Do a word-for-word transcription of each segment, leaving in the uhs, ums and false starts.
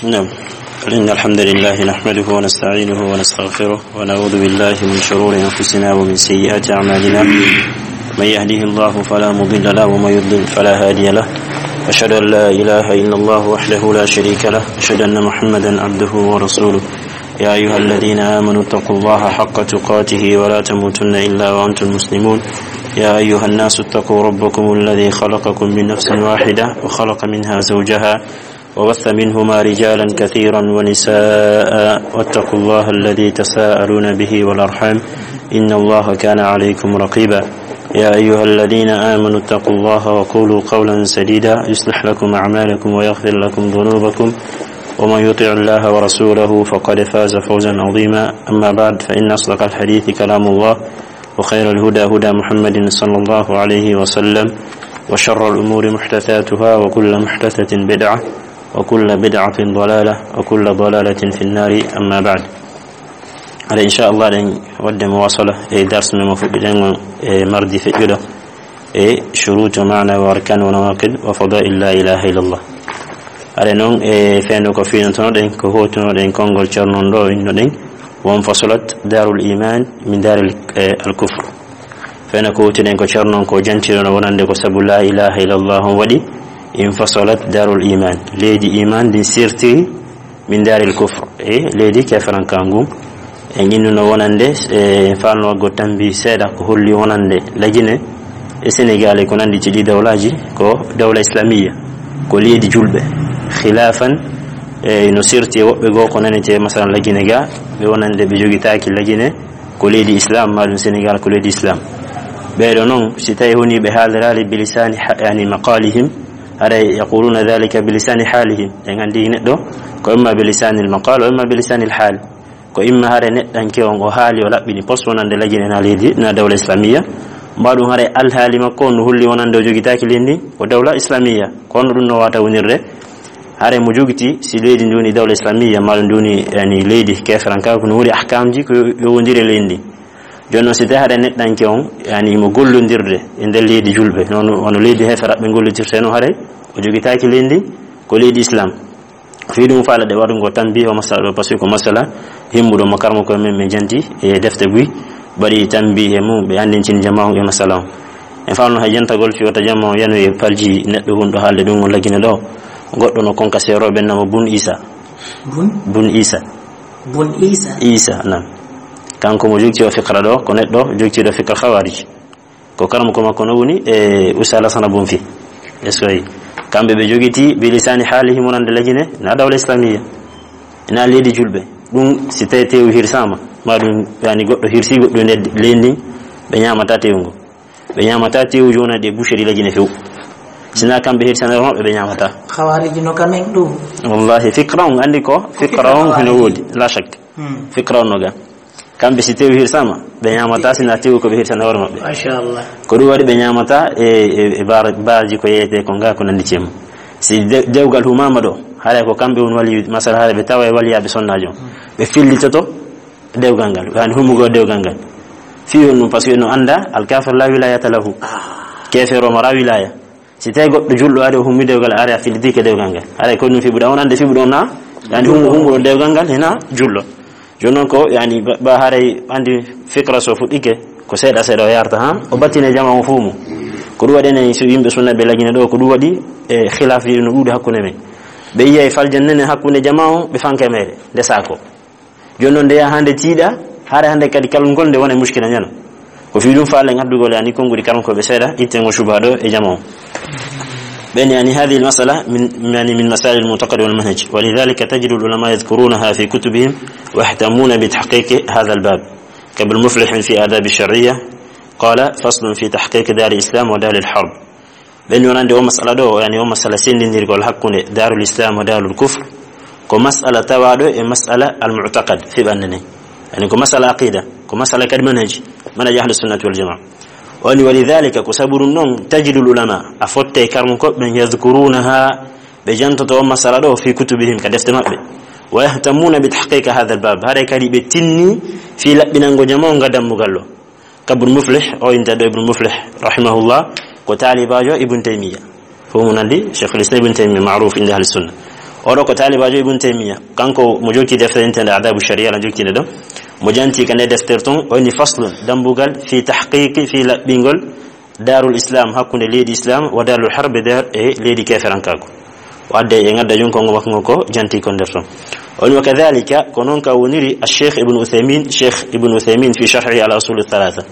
نعم. إن الحمد لله نحمده ونستعينه ونستغفره، ونعوذ بالله من شرور أنفسنا ومن سيئات أعمالنا. من يهده الله فلا مضل له، ومن يضلل فلا هادي له. أشهد أن لا إله إلا الله وحده لا شريك له، أشهد أن محمدا عبده ورسوله. يا أيها الذين آمنوا اتقوا الله حق تقاته ولا تموتن إلا وأنتم مسلمون. يا أيها الناس اتقوا ربكم الذي خلقكم من نفس واحدة وخلق منها زوجها وبث منهما رجالا كثيرا ونساء، واتقوا الله الذي تساءلون به والأرحام، إن الله كان عليكم رقيبا. يا أيها الذين آمنوا اتقوا الله وقولوا قولا سديدا، يصلح لكم أعمالكم ويغفر لكم ذنوبكم، ومن يطع الله ورسوله فقد فاز فوزا عظيما. أما بعد، فإن أصدق الحديث كلام الله، وخير الهدى هدى محمد صلى الله عليه وسلم، وشر الأمور محدثاتها، وكل محدثة بدعة، وكل بدعة ضلالة، وكل ضلالة في النار. أما بعد. Hade, inchallah, eɗen waɗde muwasala e darsu men mo fuɗɗiɗen on e mardi feƴƴuɗo, e shurutu, maana, wa arkan, wa nawaqid, wa fadail la ilaha illallah. Hade noon, e fewndo ko fiinotonoɗen, ko hootunoɗen konngol Ceerno on ɗo, innoɗen: وانفصلت دار الإيمان من دار ال-، eh, الكفر. Fewndo ko hootuɗen ko Ceerno on ko jantinono wonande ko sabu la ilaha illallah on waɗi انفصلت دار الإيمان. Leydi iman ndin sirtiri من دار الكفر, e leydi keferanka ngun. En innuno wonande, e faalno waggo tambi seeɗa ko holli wonande La Guinée e Sénégal e ko nanndi ci ɗi dawlaaji ko dawla islamiyya, ko leydi julɓe. Khilafan, e no sirti e woɓɓe goo ko nanetee, masalan, La Guinée ga, ɓe wonande ɓe jogitaaki La Guinée ko leydi islam, maa ɗum Sénégal ko leydi islam. Ɓeeɗo noon, si tawi woni ɓe haaliraali bilisani ha-, yani maqalihim, haray يقولون ذلك بلسان حالهم. En anndi neɗɗo ko imma بلسان المقال, o imma بلسان الحال. Ko imma hare neɗɗanke on o haali, o laɓɓini pos wonande La Guinée na leydi, na dawla islamiyya. Mbaɗum hare alhaali makko on no holli wonande o jogitaaki leydi ndin ko dawla islamiyya. Kono ɗum no wata wonirde hare mo jogiti si leydi ndi woni dawla islamiyya, ma ɗum ndi woni, yani, leydi keferanka, ko no woni ahkamji ko yo wondire leydi ndi. Jooni noon, si tawi hare neɗɗanke on, yani, mo gollondirde e nder leydi julɓe, noon wano leydi heferaɓe gollodirte noon, hare o jogitaaki leydi ndi ko leydi islam. Fii ɗum faala ɗe waɗugo tambiih o masala ɗo, parce que ko masala himmuɗo mo karmo koye men, min janti e defte buy, mbaɗi tambiih e mum, ɓe anndintini jama on e masala on. En faalno hay jantagol fii wota jama on yanoye palji neɗɗo wonɗo haalde ɗum on La Guinée ɗo. Goɗɗo no konka seerooɓe namo Bun Isa. Bun? Bun Isa. Bun Isa? Isa, nam. Kanko mo jogti o fikra ɗo, ko neɗɗo jogtiiɗo fikra Khawarij. Ko karamoko makko no woni e Oustaz Lassana Bonfi. Est-ce que kamɓe ɓe jogiti bilisani haalihim wonande La Guinée na dawla islamiyya, na leydi julɓe. Ɗum si tawi tewu hirsama, ma ɗum yani goɗɗo hirsi goɗɗo e nder leydi ndin, ɓe ñamata tewu ngo. Ɓe ñamata tewu jona ɗe boucherie La Guinée few. Sina kamɓe hirsana maɓɓe ɓe ñamata. Khawarij no kamen ɗum. Wallahi, fikra on andi ko, fikra on hino woodi, la shak. Hmm. Fikra on no ga. Kamɓe si tewu hirsama, ɓe ñamata sina tewu ko ɓe hirsana hoore maɓɓe. Machallah. Ko ɗum waɗi ɓe ñamata e, e, e bar-, barji ko yeyete ko nga ko nandi cem. Si de-, dewgal humama ɗo, haray ko kamɓe woni wali, masala haray ɓe tawa e waliyaɓe sonnajo. Hmm. Ɓe fillitoto dewgal ngal, yani humugo dewgal ngal. Fii on ɗum, parce que no anda, al kafir la wilayata lahu. Ah. Kefero mara wilaya. Si tawi goɗɗo julɗo ari o hummi dewgal, ari a fillitike dewgal ngal. Haray ko ɗum fiɓuɗa on, ande fiɓuɗo on na, yani humu-, humuɗo dewgal ngal hina julɗo. Jooni noon ko, yani, ba, ba haray andi fikra so fuɗɗike, ko seeɗa seeɗa o yarta, ha? O battine jama on fuu mum. Ko ɗum waɗi enen so yimɓe sunna ɓe La Guinée ɗo, ko ɗum waɗi e khilaf no ɗuuɗi hakkunde men. Ɓe yiya e faljan nene hakkunde jama on, ɓe fanke meere, nde saako. Jooni noon, nde yaha hannde tiiɗa, hare hannde kadi kalngol nde wona e muskila ñana. Ko fii ɗum faalen addugol, yani, konnguɗi karamkooɓe seeɗa, itten o suba ɗo e jama o. Ɓen, yani, هذه المسألة من، يعني، من مسائل المعتقد والمنهج، ولذلك تجد العلماء يذكرونها في كتبهم ويهتمون بتحقيق هذا الباب، كابن مفلح في آداب الشرعية قال: فصل في تحقيق دار الإسلام ودار الحرب. Ɓen wonande o masala ɗo, yani o masala sendindirgol hakkunde Daarul Islam e Daarul Kufr, ko masala tawaaɗo e masala al-mu'taqad fi ɓannde nden. Yani ko masala aqida, ko masala kadi manhaji, manhaji ahlu sunnati wal jamaa. Woni ولذلك, ko sabu ɗum ɗon, تجد العلماء, a fotte karmukooɓe ɓen, يذكرونها, ɓe jantoto o masala ɗo في كتبهم, ka defte maɓɓe. ويهتمون بتحقيق هذا الباب, haray kadi ɓe tinni fii laɓɓinango jama on nga dammugal ɗo. Ka Ibn Muflih, o innde ɗo Ibn Muflih, rahimahullah, ko taalibaajo Ibn Taymiyya. Fof mo nandi, Shaykhul Islam Ibn Taymiyya, ma'ruf inda ahli sunna. Oɗo ko taalibaajo Ibn Taymiya, kanko mo jokki deftere intende Adabu Sharia, la jokki nde ɗo. Mo janti ka nde deftere ton, o inni: "Faslun, dambugal, fi tahqiqi, fi laɓɓingol Darul Islam, hakkunde leydi Islam, wa Darul Harb, dar e leydi keferankaaku." O adde e ngadda jon kongo makko ngo ko janti ko nder ton. O inni: "Wa kadhalika, ko non ka woniri a Cheikh Ibn Uthaymin, Cheikh Ibn Uthaymin fi sharhi ala usul thalatha."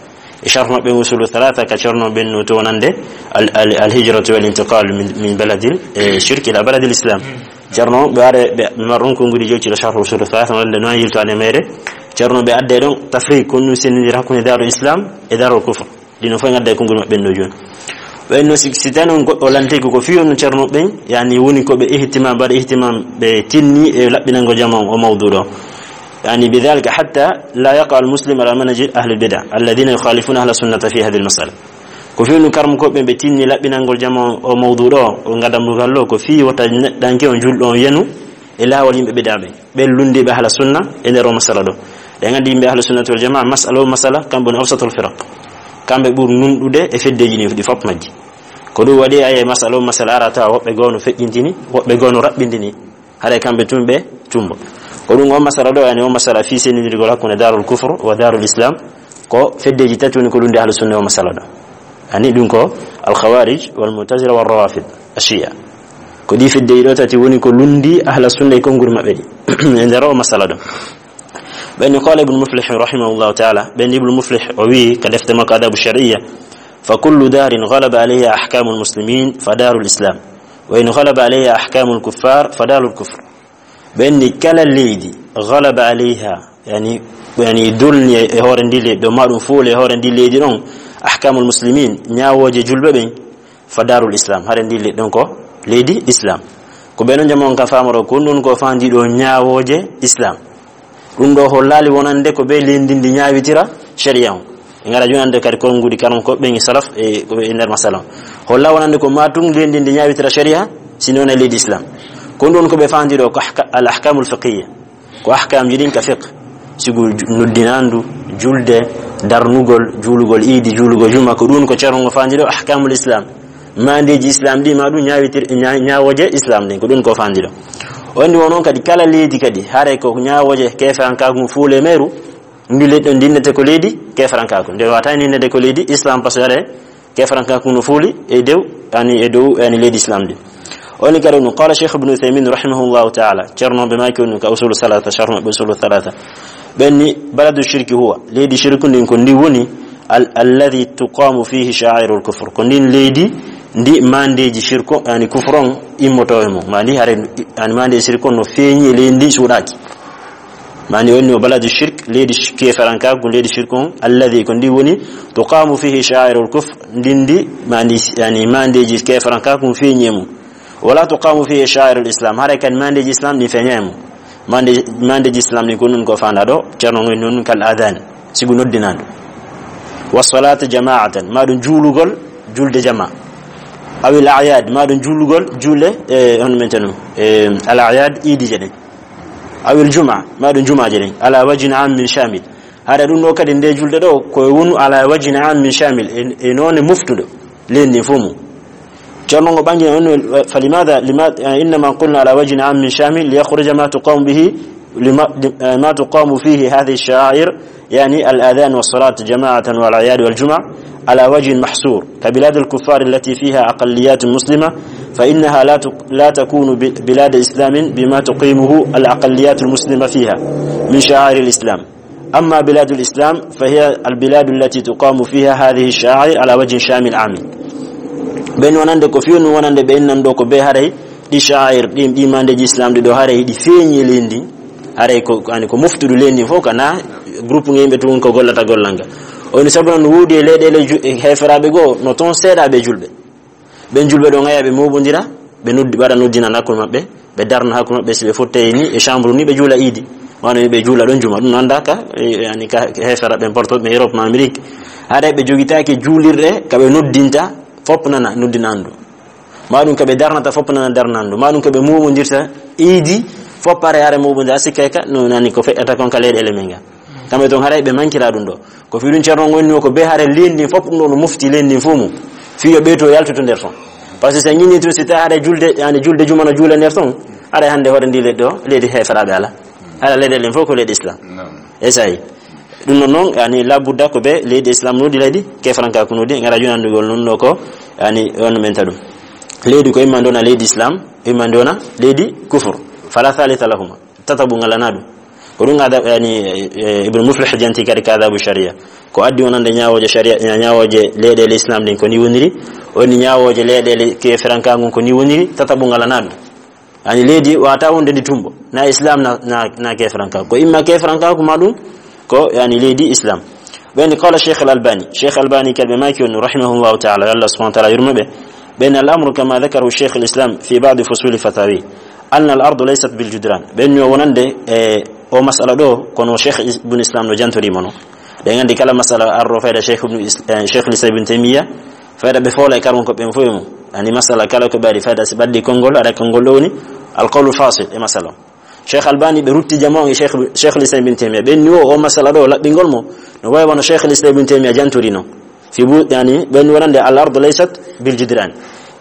E sharh maɓɓe Usulu Thalatha, ka Ceerno ɓen no to wonande al, al, al hijratu wal intiqal min, min baladil, eh, shirk ila baladil Islam. Ceerno ɓe are, ɓe marron ko ngudi jewci ɗo sharh Usulu Thalatha, wonande no yilto ane mere. Ceerno ɓe adde ɗon tafriq, ko ɗum sendindira hakkunde Darul Islam e Darul Kufr. Ɗino fof ngadda e konngol maɓɓe ɗo jooni. Ɓen no si, si tawi noon goɗɗo lantike ko fii on Ceerno ɓen, yani woni ko ɓe ihtimam, mbaɗa ihtimam, ɓe tinni e laɓɓinango jama o mawdu ɗo. يعني بذلك حتى لا يقع المسلم على منهج أهل البدع الذين يخالفون أهل السنة في هذه المسألة. Ko fewnu karmukooɓe ɓe tinni laɓɓinangol jama o mawdu ɗo, o ngadambugal ɗo, ko fii wota neɗɗanke on julɗo on yenu e laawol yimɓe bid'a ɓe, ɓen lunndiiɓe ahla sunna e nder o masala ɗo. Ɗen anndi yimɓe ahla sunnati wal jamaa, masala o masala, kamɓe woni awsatul firaq. Kamɓe ɓuri nunɗude e feddeeji ɗi, ɗi fof majji. Ko ɗum waɗi, aye, masala o masala ara tawa woɓɓe goo no feƴƴintini, woɓɓe goo no raɓɓindini. Haray kamɓe tun ɓe tumbo. Ko ɗum on masala ɗo, yani on masala fii sendindirgol hakkunde Darul Kufr wa Darul Islam, ko feddeeji tati woni ko lundi ahlu sunna o masala ɗo. Ani ɗum ko Al Khawarij wal Mu'tazila wal Rawafid, Ashia. Ko ɗi feddeeji ɗo tati woni ko lundi ahla sunna e konnguri maɓɓe ɗi e nder o masala ɗo. Ɓen ni qala Ibn Muflih rahimahullahu ta'ala, ɓen ni Ibn Muflih o wi ka defte makko Adabu Shar'iyya: "Fa kullu darin ghalaba alayha ahkamul muslimin fa darul islam, wa in ghalaba alayha ahkamul kuffar fa darul kufr." Ɓen ni kala leydi ghalaba alayha, yani, yani dolni e hoore ndi leydi ɗo, ma ɗum fooli e hoore ndi leydi ɗon, ahkamul muslimin, ñaawooje julɓe ɓen, fa darul islam, hare ndi leydi ɗon ko leydi islam. Ko ɓe non jama on ka famoro, ko ɗum ko fandi ɗo ñaawooje islam. Ɗum ɗo hollaali wonande ko ɓe leydi ndi ñaawitira sharia on. Ɓe ngara jonande kadi konngudi karam ko ɓen salaf e ko ɓe e nder masala on. Holla wonande ko ma tun leydi ndi ñaawitira sharia, si non e leydi islam. Ko ɗum ko ɓe fandi ɗo ko ahka-, al ahkamul fiqhiyya. Ko ahkamji ɗin ka fiqh. Sigu ju-, noddinandu, julde, darnugol, juulugol iidi, juulugol juma, ko ɗum ko Ceerno ngo fandi ɗo ahkamul islam. Mandeeji islam ɗi ma ɗum ñaawitir-, ña-, ñaawooje islam ɗin, ko ɗum ko fandi ɗo. On ndi won on kadi kala leydi kadi, haray ko ñaawooje keferankaaku ngu fuule meeru, ndi leydi ɗon ndinnete ko leydi keferankaaku. Nde wata ndinnete ko leydi islam, parce que haray keferankaaku no fuuli e dow, yani e dow, yani leydi islam ɗin. On ni kadi ɗum, qala Cheikh Ibn Uthaymin rahimahullahu ta'ala, Ceerno ɓe maaki on ka Usulu Thalatha, sharh maɓɓe Usulu Thalatha. Ɓen ni, baladu shirki huwa, leydi shirku ndin ko ndi woni, al-, alladhi tuqamu fihi sha'airul kufr. Ko ndin leydi, ndi mandeeji shirku, yani kufru on immoto e mum. Ma ndi hare, yani mandeeji shirku on no feeñi e leydi ndi suuɗaaki. Mani woni o baladu shirk, leydi sh-, keferankaaku, leydi shirk on, alladhi, ko ndi woni, tuqamu fihi sha'airul kufr, ndin ndi, mani, yani, mandeeji keferankaaku feeñi e mum. Wala tuqamu fihi sha'airul islam, haray kadi mandeeji islam ɗin feeña e mum. Mande-, mandeeji islam ɗin ko ɗum ko fanda ɗo, Ceerno ngoy non kal adhan, sigu noddinandu. Wa salatu jama'atan, ma ɗum juulugol, julde jama. Awil a'yad, ma ɗum juulugol, juule, e, hono men tanu, e, al a'yad, iidije ɗen. Awil juma, ma ɗum jumaaje ɗen, ala wajhin ammin shamil. Hara ɗum ɗo kadi nde julde ɗo, ko wonu ala wajhin ammin shamil, e, e noone moftuɗo leydi ndin fof mum. Ceerno ngo ɓangi on, فلماذا، لما، إنما قلنا على وجه عام شامل ليخرج ما تقام به، لما، ما تقام فيه هذه الشعائر، يعني الأذان والصلاة جماعة والأعياد والجمع، على وجه محصور، كبلاد الكفار التي فيها أقليات مسلمة، فإنها لا تك-، لا تكون ب-، بلاد إسلام بما تقيمه الأقليات المسلمة فيها من شعائر الإسلام. أما بلاد الإسلام فهي البلاد التي تقام فيها هذه الشعائر على وجه شامل عام. Ɓen wonande ko fewnu wonande ɓe innan ɗo ko ɓe haray ɗi sha'air, ɗi, ɗi mandeeji islam ɗi ɗo haray ɗi feeñi leydi ndin. Haray ko, yani ko moftuɗo leydi ndin fof, kana groupe nge yimɓe tun ko gollata gollal ngal. O ni sabu non no woodi e leyɗeele ju-, e heeferaaɓe goo, no toon seeɗaaɓe julɓe. Ɓen julɓe ɗo ngaya ɓe moɓondira, ɓe noddi, ɓe waɗa noddinal hakkunde maɓɓe, ɓe darna hakkunde maɓɓe, si ɓe fottay ni e chambre ni ɓe juula iidi. Wano ɓe juula ɗon juma, ɗum no anndaa ka, e, yani ka heefera ɓen porto ɓe Europe ma Amérique. Haray ɓe jogitaake juulirɗe ka ɓe noddinta fof nana noddinandu. Ma ɗum ka ɓe darnata fof nana darnandu. Ma ɗum ka ɓe moɓondirta iidi fof pare are moɓondira, a sikkay ka no nani ko feƴƴata kon ka leyɗeele men ga. Kamɓe toon haray ɓe mankira ɗum ɗo. Ko fii ɗum Ceerno woni ko ɓe haray leydi ndin fof ɗum ɗo no mofti leydi ndin fof mum. Fii yo ɓeyto yaltude nder toon. Par ce que so ñinni tun si tawi haray julde, yani julde juma no juule nder toon. Aray hannde hoore ndi leydi ɗo, leydi heeferaaɓe ala. Ala leyɗe ɗen fof ko leydi Islam. Naam. Esayi. Ɗum noon noon, yani, labudda ko ɓe leydi Islam nodi leydi keefranka ko nodi, ngara junandugol noon ɗo ko, yani, on men taɗum. Leydi ko imma ndi wona leydi Islam, imma ndi wona leydi kufur. Fala thalitha lahuma. Tataɓu ngalana ɗum. Ko ɗum ada, yani, eh, Ibn Muflih janti kadi ka adabu sharia. Ko addi wonande ñaawooje sharia, ña-, ñaawooje leyɗeele Islam ɗin ko ni woniri, woni ñaawooje leyɗeele keefranka ngun ko ni woniri, tataɓu ngalana ɗum. Yani leydi wata wonde ndi tumbo. Na Islam na, na, na keefranka. Ko imma keefranka ko ma ɗum, ko yani leydi Islam. Ɓen qala Cheikh Al-Albani. Cheikh Albani kadi ɓe maaki on, rahimahullahu ta'ala, yo Allah subhanahu wa ta'ala yurmo ɓe. Ɓen al-amru kama dhakarahu Cheikh al-Islam fi ba'di fusuli fatawi. Anna al-ardu laysat bil judran. Ɓen yo wonande, e, o masala ɗo, kono Cheikh Is-, Ibn Islam no jantori mo no. Ɗen anndi kala masala arro fayda Cheikh Ibn Is-, eh, Cheikh Islam Ibn Taymiya, fayda ɓe foola e karwon ko ɓen fof e mum. Yani masala kala ko ɓaɗi fayda si ɓaddi konngol, aɗa konngol ɗo woni al-qawlu fasil e masala. Cheikh Albani ɓe rutti jama on e Cheikh, Cheikh Islam Ibn Taymiya. Ɓen ni o, o masala ɗo laɓɓingol mo, no wawi wano Cheikh Islam Ibn Taymiya jantori no. Fi bu-, yani, ɓen wonande al ardu laysat bil judran.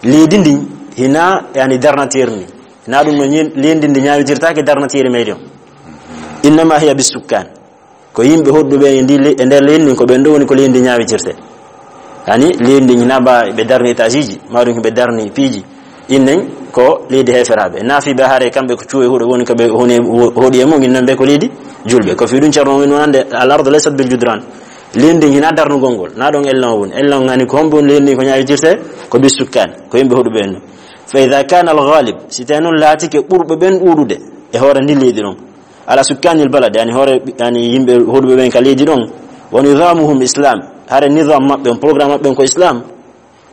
Leydi ndi hina, yani, darnatière ni. Hina ɗum no ñi-, leydi ndi ñawitirtake darnatière mairie on. Innama hiya bis sukkan. Ko yimɓe hoɗuɓe e ndi le-, e nder leydi ndin ko ɓen ɗo woni ko leydi ndi ñawitirte. Yani, leydi ndi hina ba ɓe darni étage iji, ma ɗum ɓe darni piiji. Innen ko leydi heeferaaɓe. Naafiiɓe hare kamɓe ko cuuwe huɗo woni ko ɓe honi, hoɗi e mum, innen ɓe ko leydi julɓe. Ko fii ɗum Ceerno woni wonande al ardu laysat bil judran. Leydi ndin hina darnugol ngol. Na ɗon ellen o woni. Ellen o ngani ko hombo woni leydi ndin ko ñawitirte? Ko bis sukkan. Ko yimɓe hoɗuɓe en. Fa idha kana al ghalib, si tawi noon laatike ɓurɓe ɓen ɗuuɗude e hoore ndin leydi ɗon. Ala sukkanil balad, yani hoore, yani yimɓe hoɗuɓe ɓen ka leydi ɗon. Wa nizamuhum islam. Hare nizam maɓɓe on, programme maɓɓe on ko islam.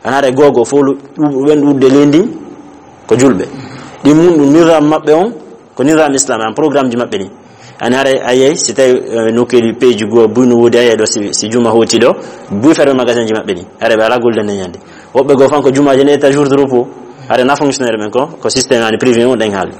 An hare gogo fo lu-, ɗuuɗuɓe ɓen ɗuuɗude leydi ndin ko julɓe. Ɗin mun ɗum nizam maɓɓe on ko nizam islam, an programme ji maɓɓe ɗin. An hare a yiyay si tawi, eh, nokkeeli peeji goo buy no woodi a yiyay ɗo si, si juma hooti ɗo, buy ferme magasin ji maɓɓe ɗin. Hare ɓe ala golde nden ñande. Woɓɓe goo fan ko jumaaji ne etta jour de repos. Hare na fonctionnaire ɓen ko, ko système ani privé on ɗen haali.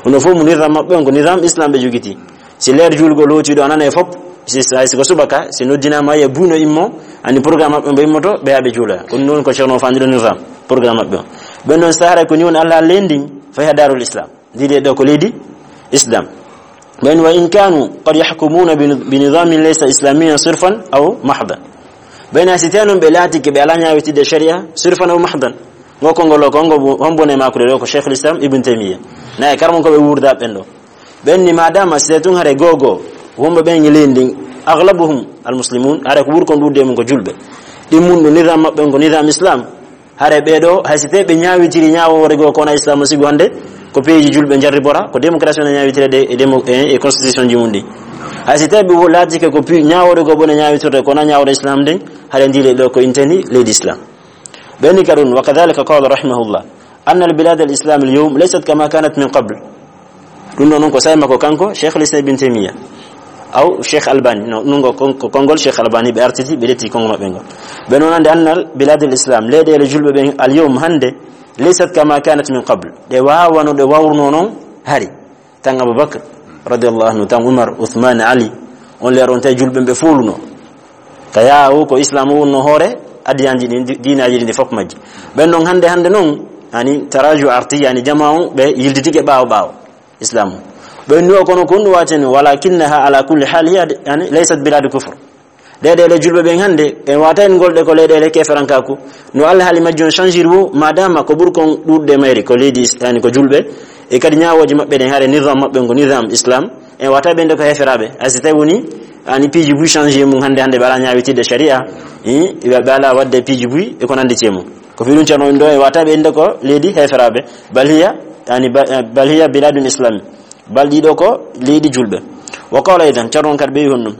Hono fof mo nizam maɓɓe on ko nizam islam ɓe jogiti. Si leer juulgol hooti ɗo a nana e fop, si, si, si ko subaka, si noddinama e buy no immo, ani programme maɓɓe mbo immoto, ɓe haa ɓe juuloya. Ko ɗum ɗon ko Ceerno fandi ɗo nizam, programme maɓɓe on. Ɓen ɗon sahara ko ni woni Allah leydi ndin, fay ha Darul Islam. Ndi ɗo ko leydi Islam. Ɓen wa in kanu qad yahkumuna bi, bi nizamin laysa islamiyan sirfan aw mahdan. Ɓen a si tawi noon ɓe laatike ɓe ala ñaawitidde sharia, sirfan aw mahdan. Ngo konngol o ko ngo bu-, hombo ne makude ɗo ko Cheikhul Islam Ibn Taymiyyah. Na e karmon ko ɓe wuurda ɓen ɗo. Ɓen ni madama si tawi tun hare gogo, wonɓe ɓen e leydi ndin, aghlabuhum al muslimun, hare ko ɓuri kon ɗuuɗude mum ko julɓe. Ɗin mun ɗo nizam maɓɓe on ko nizam Islam. Hare ɓee ɗo, hay si tawi ɓe ñaawitiri ñaawoore goo ko wona Islam no sigo hannde, ko peeji julɓe njarribora, ko démocratie wona ñaawitireede e démo-, e, e constitution ji mum ɗi. Hay si tawi ɓe wo-, laatike ko pi-, ñaawoore goo ɓe wona ñaawitirde ko wona ñaawoore Islam nden, hare ndi leydi ɗo ko inteni leydi Islam. Ɓe ni ka ɗum, wa kadhalika qala rahimahullah, anna al bilad al Islam al yawm laysat kama kanat min qabl. Ɗum ɗo noon ko sa'i makko kanko, Cheikhul Islam Ibn Taymiyyah. Aw Cheikh Albani, no, ɗum ko kon-, ko konngol Cheikh Albani ɓe artiti, ɓe ƴetti konngol maɓɓe ngol. Ɓe noon annde annal biladul Islam, leyɗeele julɓe ɓen al yawm hannde, laysat kama kanat min qabl. Ɗe waawano ɗe wawruno noon hari. Tan Abubakar, radiyallahu anhu, tan Umar, Uthman, Ali, on leer on tawi julɓe ɓe fooluno. Ka yaawu ko Islam o wonno hoore adiyanji ɗin, di-, diinaaji ɗin fof majji. Ɓen ɗon hannde, hannde noon, ani taraju arti, yani jama on ɓe yiltitike ɓaawo ɓaawo. Islam. Ɓe nduwa kono ko ɗum waten, walakinnaha ala kulli hal hiya, yani, laysat biladu kufr. Leyɗeele julɓe ɓen hannde, en wata en ngolɗe ko leyɗeele keferankaku. No Allah haali majji on changir wo, madama ko ɓuri kon ɗuuɗde mayri, ko leydi is-, yani, ko julɓe, e kadi ñaawooji maɓɓe ɗen, hare nizam maɓɓe ngo nizam Islam, en wata ɓe nde ko heferaaɓe. Hay si tawi woni, yani, piiji buy changé mum hannde, hannde ɓe ala ñaawitidde sharia, i, ɓe, ɓe ala waɗde piiji buy, e ko nandi e mum. Ko fi ɗum Ceerno ɗo, en wata ɓe nde ko leydi heferaaɓe. Bal hiya, yani, ba-, bal hiya biladun Islam. Bal ɗiɗo ko leydi julɓe. Wa qala aidan, Ceerno on kadi ɓeyi honɗum.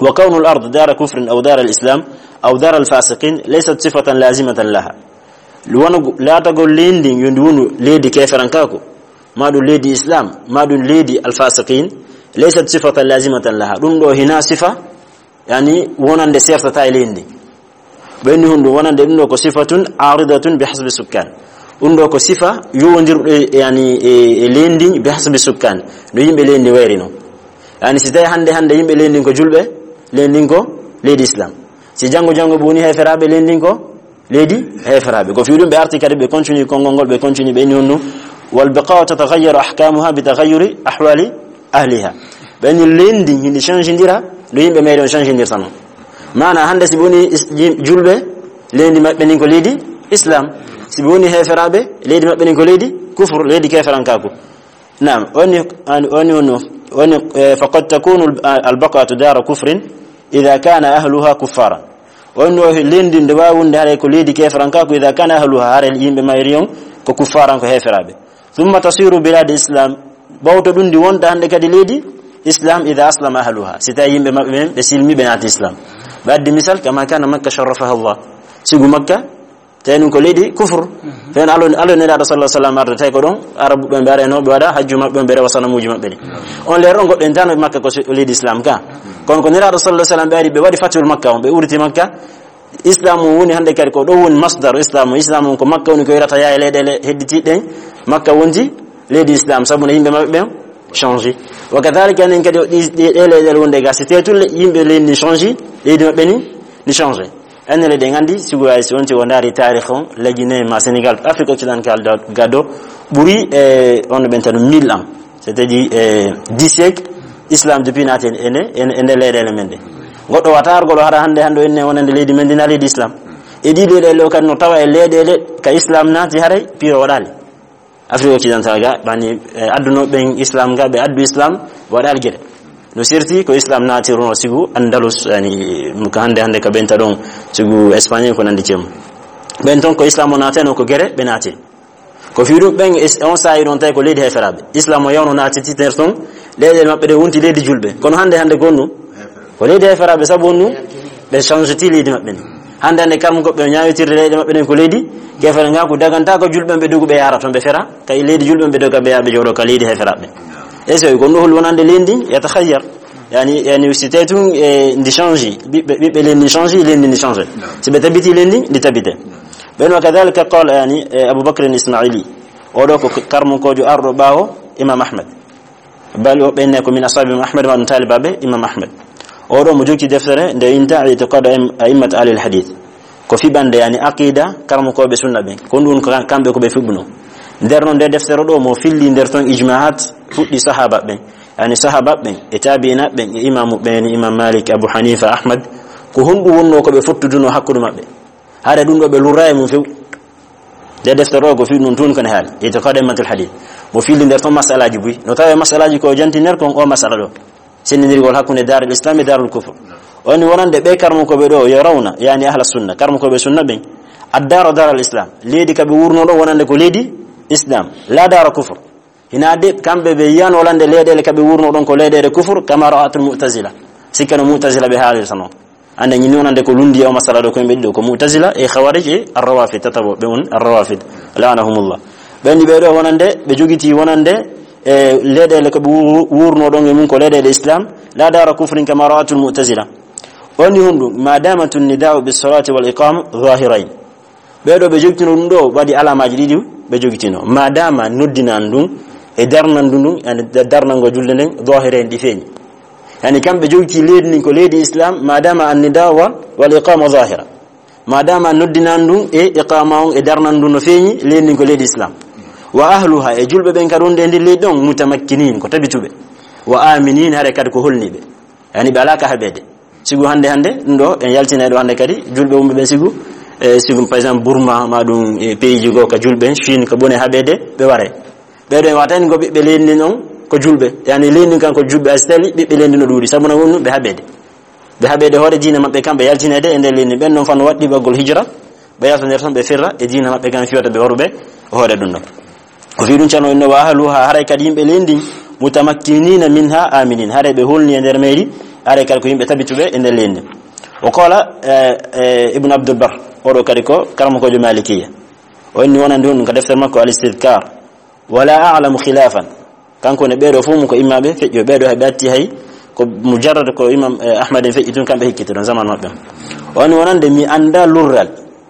Wa kawnul ard dara kufrin aw dara al islam aw dara al fasiqin laysat sifatan lazimatan laha. Wona gu-, laatagol leydi ndin yo ndi wonu leydi keferankaku, ma ɗum leydi Islam, ma ɗum leydi al fasiqin, laysat sifatan lazimatan laha. Ɗum ɗo hina sifa, yani, wonande sertata e leydi ndin. Ɓe inni honɗum wonande ɗum ɗo ko sifatun aridatun bi hasbi sukkan. Ɗum ɗo ko sifa yowondirɗo e, yani, e, e leydi ndin bi hasbi sukkan. No yimɓe leydi ndin wayri non. Yani si tawi hannde, hannde yimɓe leydi ndin ko julɓe, leydi ndin ko leydi Islam. Si janngo, janngo ɓe woni heferaaɓe, leydi ndin ko leydi heferaaɓe. Ko fii ɗum ɓe arti kadi ɓe continue konngol ngol, ɓe continue ɓe inni honɗum والبقاع تتغير أحكامها بتغير أحوال أهلها. Ɓen ni leydi ndi hindi change ndira, no yimɓe meɗen change ndirta non. Maana hannde si ɓe woni is-, yim-, julɓe, leydi maɓɓe ndin ko leydi Islam. Si ɓe woni heeferaaɓe, leydi maɓɓe ndin ko leydi kufur, leydi keeferankaaku. Naam, woni, an-, woni, woni, woni, eh, فقد تكون ال-, البقعة دار كفر إذا كان أهلها كفارا. Woni no leydi ndi waawi wonde haray ko leydi keeferankaaku, إذا كان أهلها, haray yimɓe mayri on ko kuffaran, ko heeferaaɓe. ثم تصير بلاد إسلام. Ɓawto ɗum ndi wonta hannde kadi leydi Islam, إذا أسلم أهلها. Si tawi yimɓe maɓɓe ɓen ɓe silmi, ɓe naati Islam. Ɓe addi misal, كما كان مكة شرفها الله. Sibu Makka, tawi ɗum ko leydi kufur. Fen alo, alo Nelaaɗo sallallahu alaihi wasallam arde, tawi ko ɗon Arabu ɓen ɓe arayno, ɓe waɗa hajju maɓɓe, ɓe rewa sanamuuji maɓɓe ɗin. On leer on goɗɗo en tano Makka ko si-, leydi Islam ka. Kono ko Nelaaɗo sallallahu alaihi wasallam ɓe ari, ɓe waɗi fatul Makka on, ɓe uriti Makka. Islam on woni hannde kadi ko ɗo woni masdar Islam on. Islam on ko Makka woni ko yorata yaha e leyɗeele hedditiiɗe ɗen. Makka wonti leydi Islam, sabu no yimɓe maɓɓe ɓen change. Wa kadhalika enen kadi o ɗi, ɗi, ɗe leyɗeele wonde ga, si tawi tun le-, yimɓe leydi ni change, leydi maɓɓe ni, ni change. Enen leyɗe en anndi, sigo ay si on tigi o ndaari taarikh on, la Guinée ma Sénégal, Afrique occidentale do, gaddo, ɓuri, eh, on ɓen tan mille ans. C'est-à-dire, eh, dix siècles, Islam depuis naati e, e, e, e nder leyɗeele men ɗe. Goɗɗo wata ar goɗɗo hara hannde, hannde o enne wonande leydi men ndi na leydi Islam. E ɗi leyɗeele o kadi no tawa e leyɗeele ka Islam naati haray, piro waɗaali. Afrique occidentale ga, bani, eh, adduno ɓen Islam ga, ɓe addu Islam, waɗaali gere. No serti ko Islam naati runo sigu Andalus, yani, ko hannde, hannde ka ɓenta ɗon, sigu Espagne ko nandi cem. Ɓen ton ko Islam o naateno ko gere, ɓe naati. Ko fii ɗum ɓen es-, on saa'i ɗon tawi ko leydi heeferaaɓe. Islam o yawno naatiti nder ton, leyɗe maɓɓe ɗe wonti leydi julɓe. Kono hannde, hannde ko on ɗum? Ko leydi heeferaaɓe, sabu on ɗum? Ɓe change ti leydi maɓɓe ndi. Hannde, hannde kam ko ɓe ñaawitirde leyɗe maɓɓe ɗen ko leydi keefere, nga ko daganta ko julɓe ɓe dogu ɓe yaara ton, ɓe fera. Kay leydi julɓe ɓe doga ɓe yaa ɓe jooɗo ka leydi heeferaaɓe. E so ko ɗum ɗo hol wonande leydi ndi, yatakhayyar. Yani, yani si tawi tun, e, ndi change, ɓiɓɓe, ɓiɓɓe leydi ndi change, leydi ndi change. Si ɓe tabiti leydi ndi, ndi tabite. Ɓen wa kadhalika qala, yani, e, Abu Bakr al-Ismaili. Oɗo ko karmunkoojo arɗo ɓaawo Imam Ahmad. Bal woɓɓe ene ko min ashabi Imam Ahmad, ma ɗum taalibaaɓe Imam Ahmad. Oɗo mo jokki deftere nde inta I'tiqad A'im-, A'immat Ahlil Hadith. Ko fiɓande, yani, aqida karmukooɓe sunna ɓen. Ko ɗum ko kam-, kamɓe ko ɓe fiɓuno. Nder non nde deftere ɗo mo filli nder ton ijmaat fuɗɗi sahaba ɓen. Yani sahaba ɓen, e tabi'ina ɓen, e imamu ɓen, Imam Malik, Abu Hanifa, Ahmad. Ko honɗum wonno ko ɓe fottuduno hakkunde maɓɓe? Haade ɗum ɗo ɓe lurra e mum few. Nde deftere ɗo ko fii ɗum tun ko ne haali, I'tiqad A'immatul Hadith. Mo filli nder ton masalaaji buy. No tawi masalaaji ko janti nder kon o masala ɗo. Senndirgol hakkunde Darul Islam e Darul Kufr. Woni wonande ɓe karmukooɓe ɗo, yo rawna, yani ahla sunna, karmukooɓe sunna ɓen. Ad-dara daral Islam. Leydi ka ɓe wurno ɗo wonande ko leydi Islam. La dara kufr. Hina de kamɓe ɓe yiyan wonande leyɗeele ka ɓe wurno ɗon ko leyɗeele kufr, kama ra'atul Mu'tazila. Sikkano Mu'tazila ɓe haalirta non. Ande ñin wonande ko lundi e o masala ɗo ko yimɓe ɗiɗo, ko Mu'tazila e Khawarij e Ar-Rawafid, tataɓo ɓe on Ar-Rawafid, la'anahumullah. Ɓen ɗi ɓe ɗo wonande, ɓe jogiti wonande, e leyɗeele ko ɓe wu-, wurno ɗon e mum ko leyɗeele Islam, la dara kufrin kama ra'atul Mu'tazila. On ni honɗum, ma damatul nida'u bis salati wal iqama zahirain. Ɓee ɗo ɓe jogitino ɗum ɗo waɗi alamaaji ɗiɗi ɓe jogitino. Madama noddinan ɗum e darnan ɗum ɗum, yani da-, darnango julde nden, zahira en ɗi feeñi. Yani kamɓe jogiti leydi ndin ko leydi Islam, madama annida wa, wal iqama zahira. Madama noddinan ɗum e iqama on e darnan ɗum no feeñi, leydi ndin ko leydi Islam. Wa ahluha, e julɓe ɓen kadi wonde e nder leydi ɗon, mutamakkinin, ko tabituɓe. Wa aminin, hare kadi ko holniɓe. Yani ɓe alaa ka haɓeede. Sigu hannde, hannde ɗum ɗo en yaltinay ɗo hannde kadi, julɓe wumɓe ɓen sigu, e sigu, par exemple, Burma, ma ɗum e pays ji goo ka julɓe, Chine, ko ɓuri haɓeede ɓe ware. Ɓee ɗo en wata en ko ɓiɓɓe leydi ndin on ko julɓe. Yani leydi ndin kan ko julɓe, a si tali ɓiɓɓe leydi no ɗuuɗi, sabu no woni ɓe haɓeede. Ɓe haɓeede hoore diine maɓɓe kamɓe yaltineede e nder leydi ndin. Ɓen non fan waɗɗi ɓaggol hijra, ɓe yalta nder ton ɓe firra e diine maɓɓe kan fiyata ɓe horuɓe hoore ɗum ɗo. O fii ɗum cano inno wa ahluha, haray kadi yimɓe leydi ndin, mutamakkinina minha aminin, haray ɓe holni e nder meyri, haray kadi ko yimɓe tabituɓe e nder leydi ndin. O qala, eh, eh, Ibn Abdul Bar, oɗo kadi ko karamokoojo Malikiya. O inni wonande ɗum ko deftere makko Al-Istidhkar. Wala a'lamu khilafan. Kanko ne ɓeeɗo fof mum ko immaɓe feƴƴo, ɓeeɗo heɓe atti hay ko mujarrad ko Imam, eh, Ahmad en feƴƴi tun, kamɓe hekkiti ɗon zaman maɓɓe. O inni wonande mi annda lurral.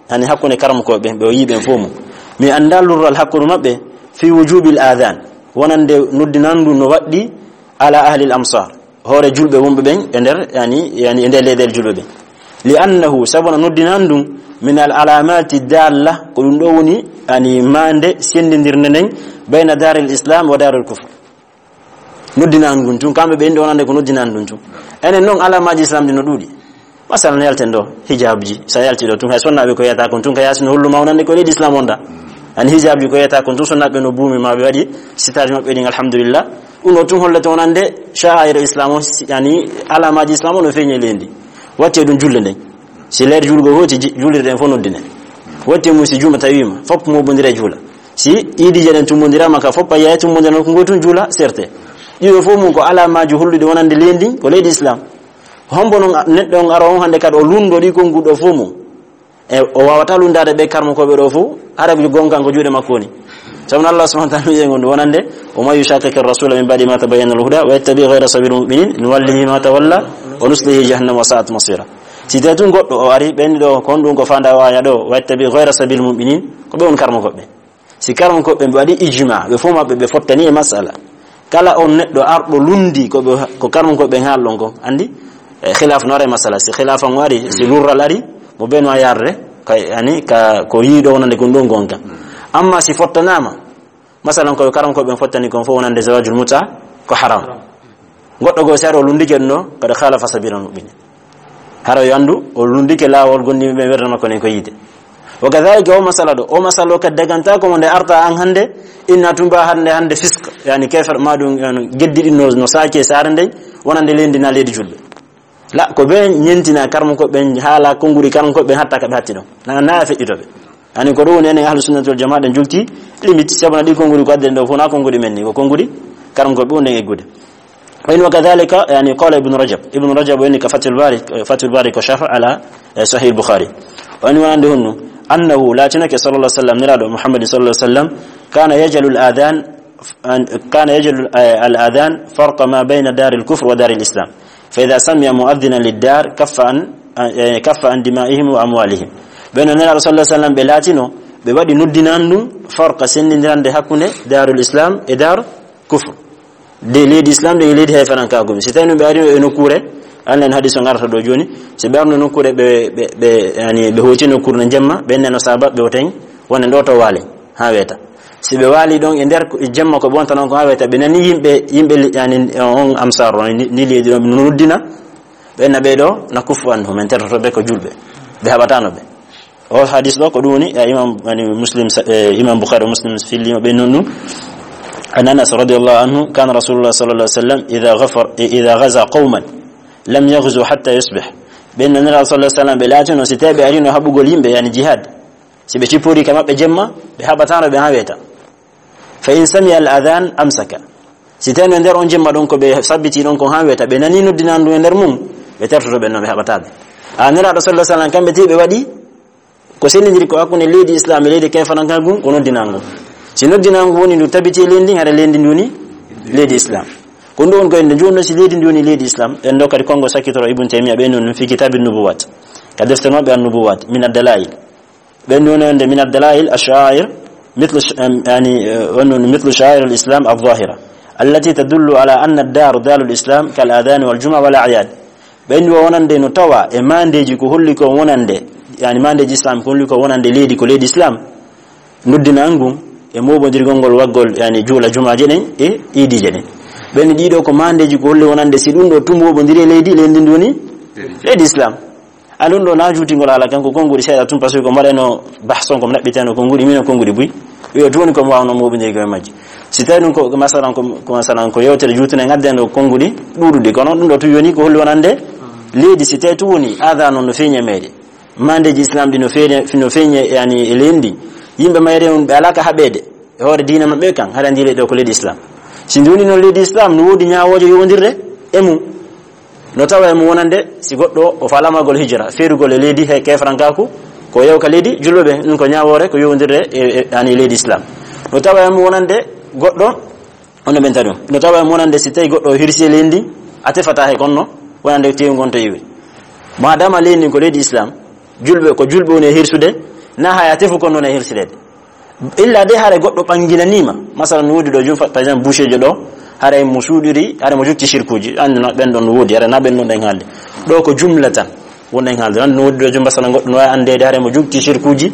Hani hakkunde karamokooɓe ɓe o yii ɓen fof mum. Mi annda lurral hakkunde maɓɓe fi wujubil adhan. Wonande noddinandu no waɗɗi ala ahlil amsar. Hoore julɓe wonɓe ɓen e nder, yani, yani e nder leyɗeele julɓe ɓen. Li annahu, sabu no noddinandu Min al alamati dalla, ko ɗum ɗo woni, yani, maande sendindirnde nden, bayna daril islam wa daril kufr. Noddinaandu ngun tun, kamɓe ɓe indi wonande ko noddinaandu ngun tun. Enen non, alamaaji islam ɗi no ɗuuɗi. Masalan, yalten ɗo, hijabji, sa yalti ɗo tun, hay sonnaaɓe ko yiyata kon tun, ka yaasi no holluma wonande ko leydi islam wonda. Ani hijabji ko yiyata kon tun, sonnaaɓe no buumi ma, ɓe waɗi sitaaji maɓɓe ɗin, alhamdulillah. Ɗum ɗo tun hollete wonande sha'air islam o, si-, yani alamaaji islam o no feeñi e leydi. Watti e ɗum julde nden. Si leer julgo hooti, ji-, julirɗen fof noddine. Watti mum si juma tawiima, fof mobondira e juula. Si iidije ɗen tummondirama ka fof, payya e tummondira nokku ngoo tun juula, serte. Ɗiɗo fof mum ko alamaaji holluɗi wonande leydi, ko leydi islam. Hombo non neɗɗo on ara on hannde kadi o lunndo ɗi konnguɗi ɗo fof mum? E o waawata lunndaade ɓe karmokooɓe ɗo fof, hara ko gonka ko juuɗe makko woni. Sabu no Allah subhanahu wa ta'ala wi'i e ngon wonande, "Wa man yushaqiqi rasula min ba'di ma tabayyana lahu huda wa yattabi ghayra sabili mu'minin nuwallihi ma tawalla wa nuslihi jahannama wa sa'at masira." Si tawi tun goɗɗo o ari ɓenni ɗo, kon ɗum ko fanda o aya ɗo, "Wa yattabi ghayra sabili mu'minin," ko ɓe on karmokooɓe. Si karmokooɓe ɓe waɗi ijma, ɓe fof maɓɓe ɓe fottani e masala. Kala on neɗɗo arɗo lundi ko ɓe, ko karmokooɓe ɓe haalɗon kon, andi, e, khilaf no ara e masala. Si khilaf on ari, si lurral ari, mo ɓe no yarde, ka, yani, ka, ko yiiɗo wonande kon ɗon gonka. Amma si fottanaama, masalan, ko karmokooɓe ɓen fottani kon fof wonande zawajul muta, ko haram. Goɗɗo goo, si ari o lundike ɗum ɗo, kadi khalafa sabila mu'minin. Hara yo anndu, o lundike laawol gondiiɓe ɓe werda makko nden ko yiide. Wa kadhalika o masala ɗo, o masala o kadi daganta ko mo nde arta an hannde, inna tumba hannde, hannde fisk, yani kefer ma ɗum, yani geddi ɗin no, no saaki e saare nden, wonande leydi na leydi julɓe. La, ko ɓe ñentina karmokooɓe ɓen, haala konnguɗi karmokooɓe ɓen hatta ka ɓe hatti ɗon. Na, na feƴƴito ɓe. Ani ko ɗum woni enen ahlu sunnati wal jamaa ɗen julti, limite, sabuna ɗi konnguɗi ko adden ɗo fof na konnguɗi men ni, ko konnguɗi karmokooɓe ɓe nden eggude. Wa in wa kadhalika, yani, qala Ibn Rajab. Ibn Rajab woni ka Fathul Bari, Fathul Bari ko sharh ala, eh, Sahih Bukhari. Woni wonande honno, annahu, laatinake sallallahu alaihi wasallam, niraaɗo Muhammad sallallahu alaihi wasallam, kana yaj'alu al-adhan, an, kana yaj'alu, eh, al-adhan farqa ma bayna daril kufr wa daril islam. Fa idha sami'a mu'adhdhinan lid-dar kaffa an, eh, kaffa an dima'ihim wa amwalihim. Ɓe no niraaɗo sallallahu alaihi wasallam ɓe laatino, ɓe waɗi noddinaandu farqa sendindirande hakkunde darul islam e dar kufr. De leydi islam de leydi hay fanan ka gumi. Si tawi no ɓe ari e nokkuure, an en hadis on arata ɗo jooni, si ɓe arno nokkuure ɓe, ɓe, ɓe, yani, ɓe hooti nokkuure no jemma, ɓe neno saba ɓe o tawi, wonen ɗo to waale, haa weeta. Si ɓe waali ɗon e nder ko, e jemma ko ɓe wonta non ko haa weeta, ɓe nani yimɓe, yimɓe li-, yani, on amsar on, ni, ni leydi ɗon no noddina, ɓe na ɓe ɗo na kuffu anhu, men tertoto ɓe ko julɓe, ɓe haɓatano ɓe. O hadis ɗo ko ɗum woni, eh, Imam, yani, Muslim sa-, eh, Imam Bukhari, Muslim fillima ɓe non ɗum. An Anas radiyallahu anhu, kana Rasulullah sallallahu alaihi wasallam idha ghafar, idha ghaza qauman lam yaghzu hatta yusbih. Ɓe no Nira sallallahu alaihi wasallam ɓe laatino si tawi ɓe arino haɓugol yimɓe, yani jihad. Si ɓe cippori ka maɓɓe jemma, ɓe haɓatano ɓe haa weeta. Fa in sami'a al-adhan amsaka. Si tawi no nder on jemma ɗon ko ɓe sabbiti ɗon ko haa weeta, ɓe nani noddinandu e nder mum, ɓe tertoto ɓe no ɓe haɓata ɓe. A Niraaɗo sallallahu alaihi wasallam kamɓe ti ɓe waɗi ko sendindiri ko hakkunde leydi islam e leydi kayfananka ngun ko noddinangu. Si noddinangu woni ndu tabiti e leydi ndin, hara leydi ndi woni leydi islam. Ko ndu on ko en nde jooni si leydi ndi woni leydi islam, en ɗo kadi kongo sakkitoro Ibn Taymiyyah ɓe non fi kitabin nubuwat. Ka defte maɓɓe an nubuwat, min ad-dalail. Ɓen woni wonde min ad-dalail ash-sha'air, mithlu sh-, em, yani, eh, woni woni mithlu sha'air al-islam adh-dhahira, allati tadullu ala anna ad-dar darul islam kal adhan wal jumu'a wal a'yad. Ɓen wo wonande no tawa e mandeji ko holli ko wonande, yani mandeji islam ko holli ko wonande leydi ko leydi islam. Noddinangu e moɓodirgol ngol waggol, yani juula jumaaje ɗen e iidije ɗen. Ɓen ɗiɗo ko mandeji ko holli wonande si ɗum ɗo tun moɓodiri e leydi, leydi ndi woni leydi islam. A ɗum ɗo na juutingol haala kan ko konnguɗi seeɗa tun, parce que ko mbaɗeno bahson ko naɓɓiteno konnguɗi, mino konnguɗi buy. Wiyo tun woni ko mo wawno moɓindirgol e majji. Si tawi ɗum ko masalan ko, ko masalan ko yewtere juutune ngadden ɗo konnguɗi ɗuɗuɗi, kono ɗum ɗo tun yoni ko holli wonande leydi, si tawi tun woni aada noon no feeñi e mayre. Mandeji islam ɗi no feeñi, no feeñi yani e leydi. Yimɓe mayre on ɓe alaa ka haɓeede e hoore diina maɓɓe kan, hara ndi leydi ɗo ko leydi islam. Si ndi woni noon leydi islam no woodi ñaawooje yowondirde e mum. No tawa e mum wonande si goɗɗo o faalama gol hijra, feerugol e leydi he kefrankaaku, ko yewka leydi julɓe ɓe, ɗum ko ñaawoore ko yowondirde e, e, yani leydi islam. No tawa e mum wonande goɗɗo, on no ɓenta ɗum. No tawa e mum wonande si tawi goɗɗo o hirsi e leydi ndi, a tefata he konno, wonande tewi ngon to iwi. Madama leydi ndi ko leydi islam, julɓe, ko julɓe woni e hirsude, na haya tefu kon noon e hirsireede. Illa de hare goɗɗo ɓanginaniima. Masalan, no woodi ɗo jum, par exemple, boucher jo ɗo, hare mo suuɗiri, hare mo jotti shirkuuji, anndi no ɓen ɗon no woodi, hare na ɓen ɗon ɗen haalde. Ɗo ko jumla tan. Wonɗen haalde noon, no woodi ɗo jumba sana goɗɗo no waawi anndeede hare mo jogti sirkuuji,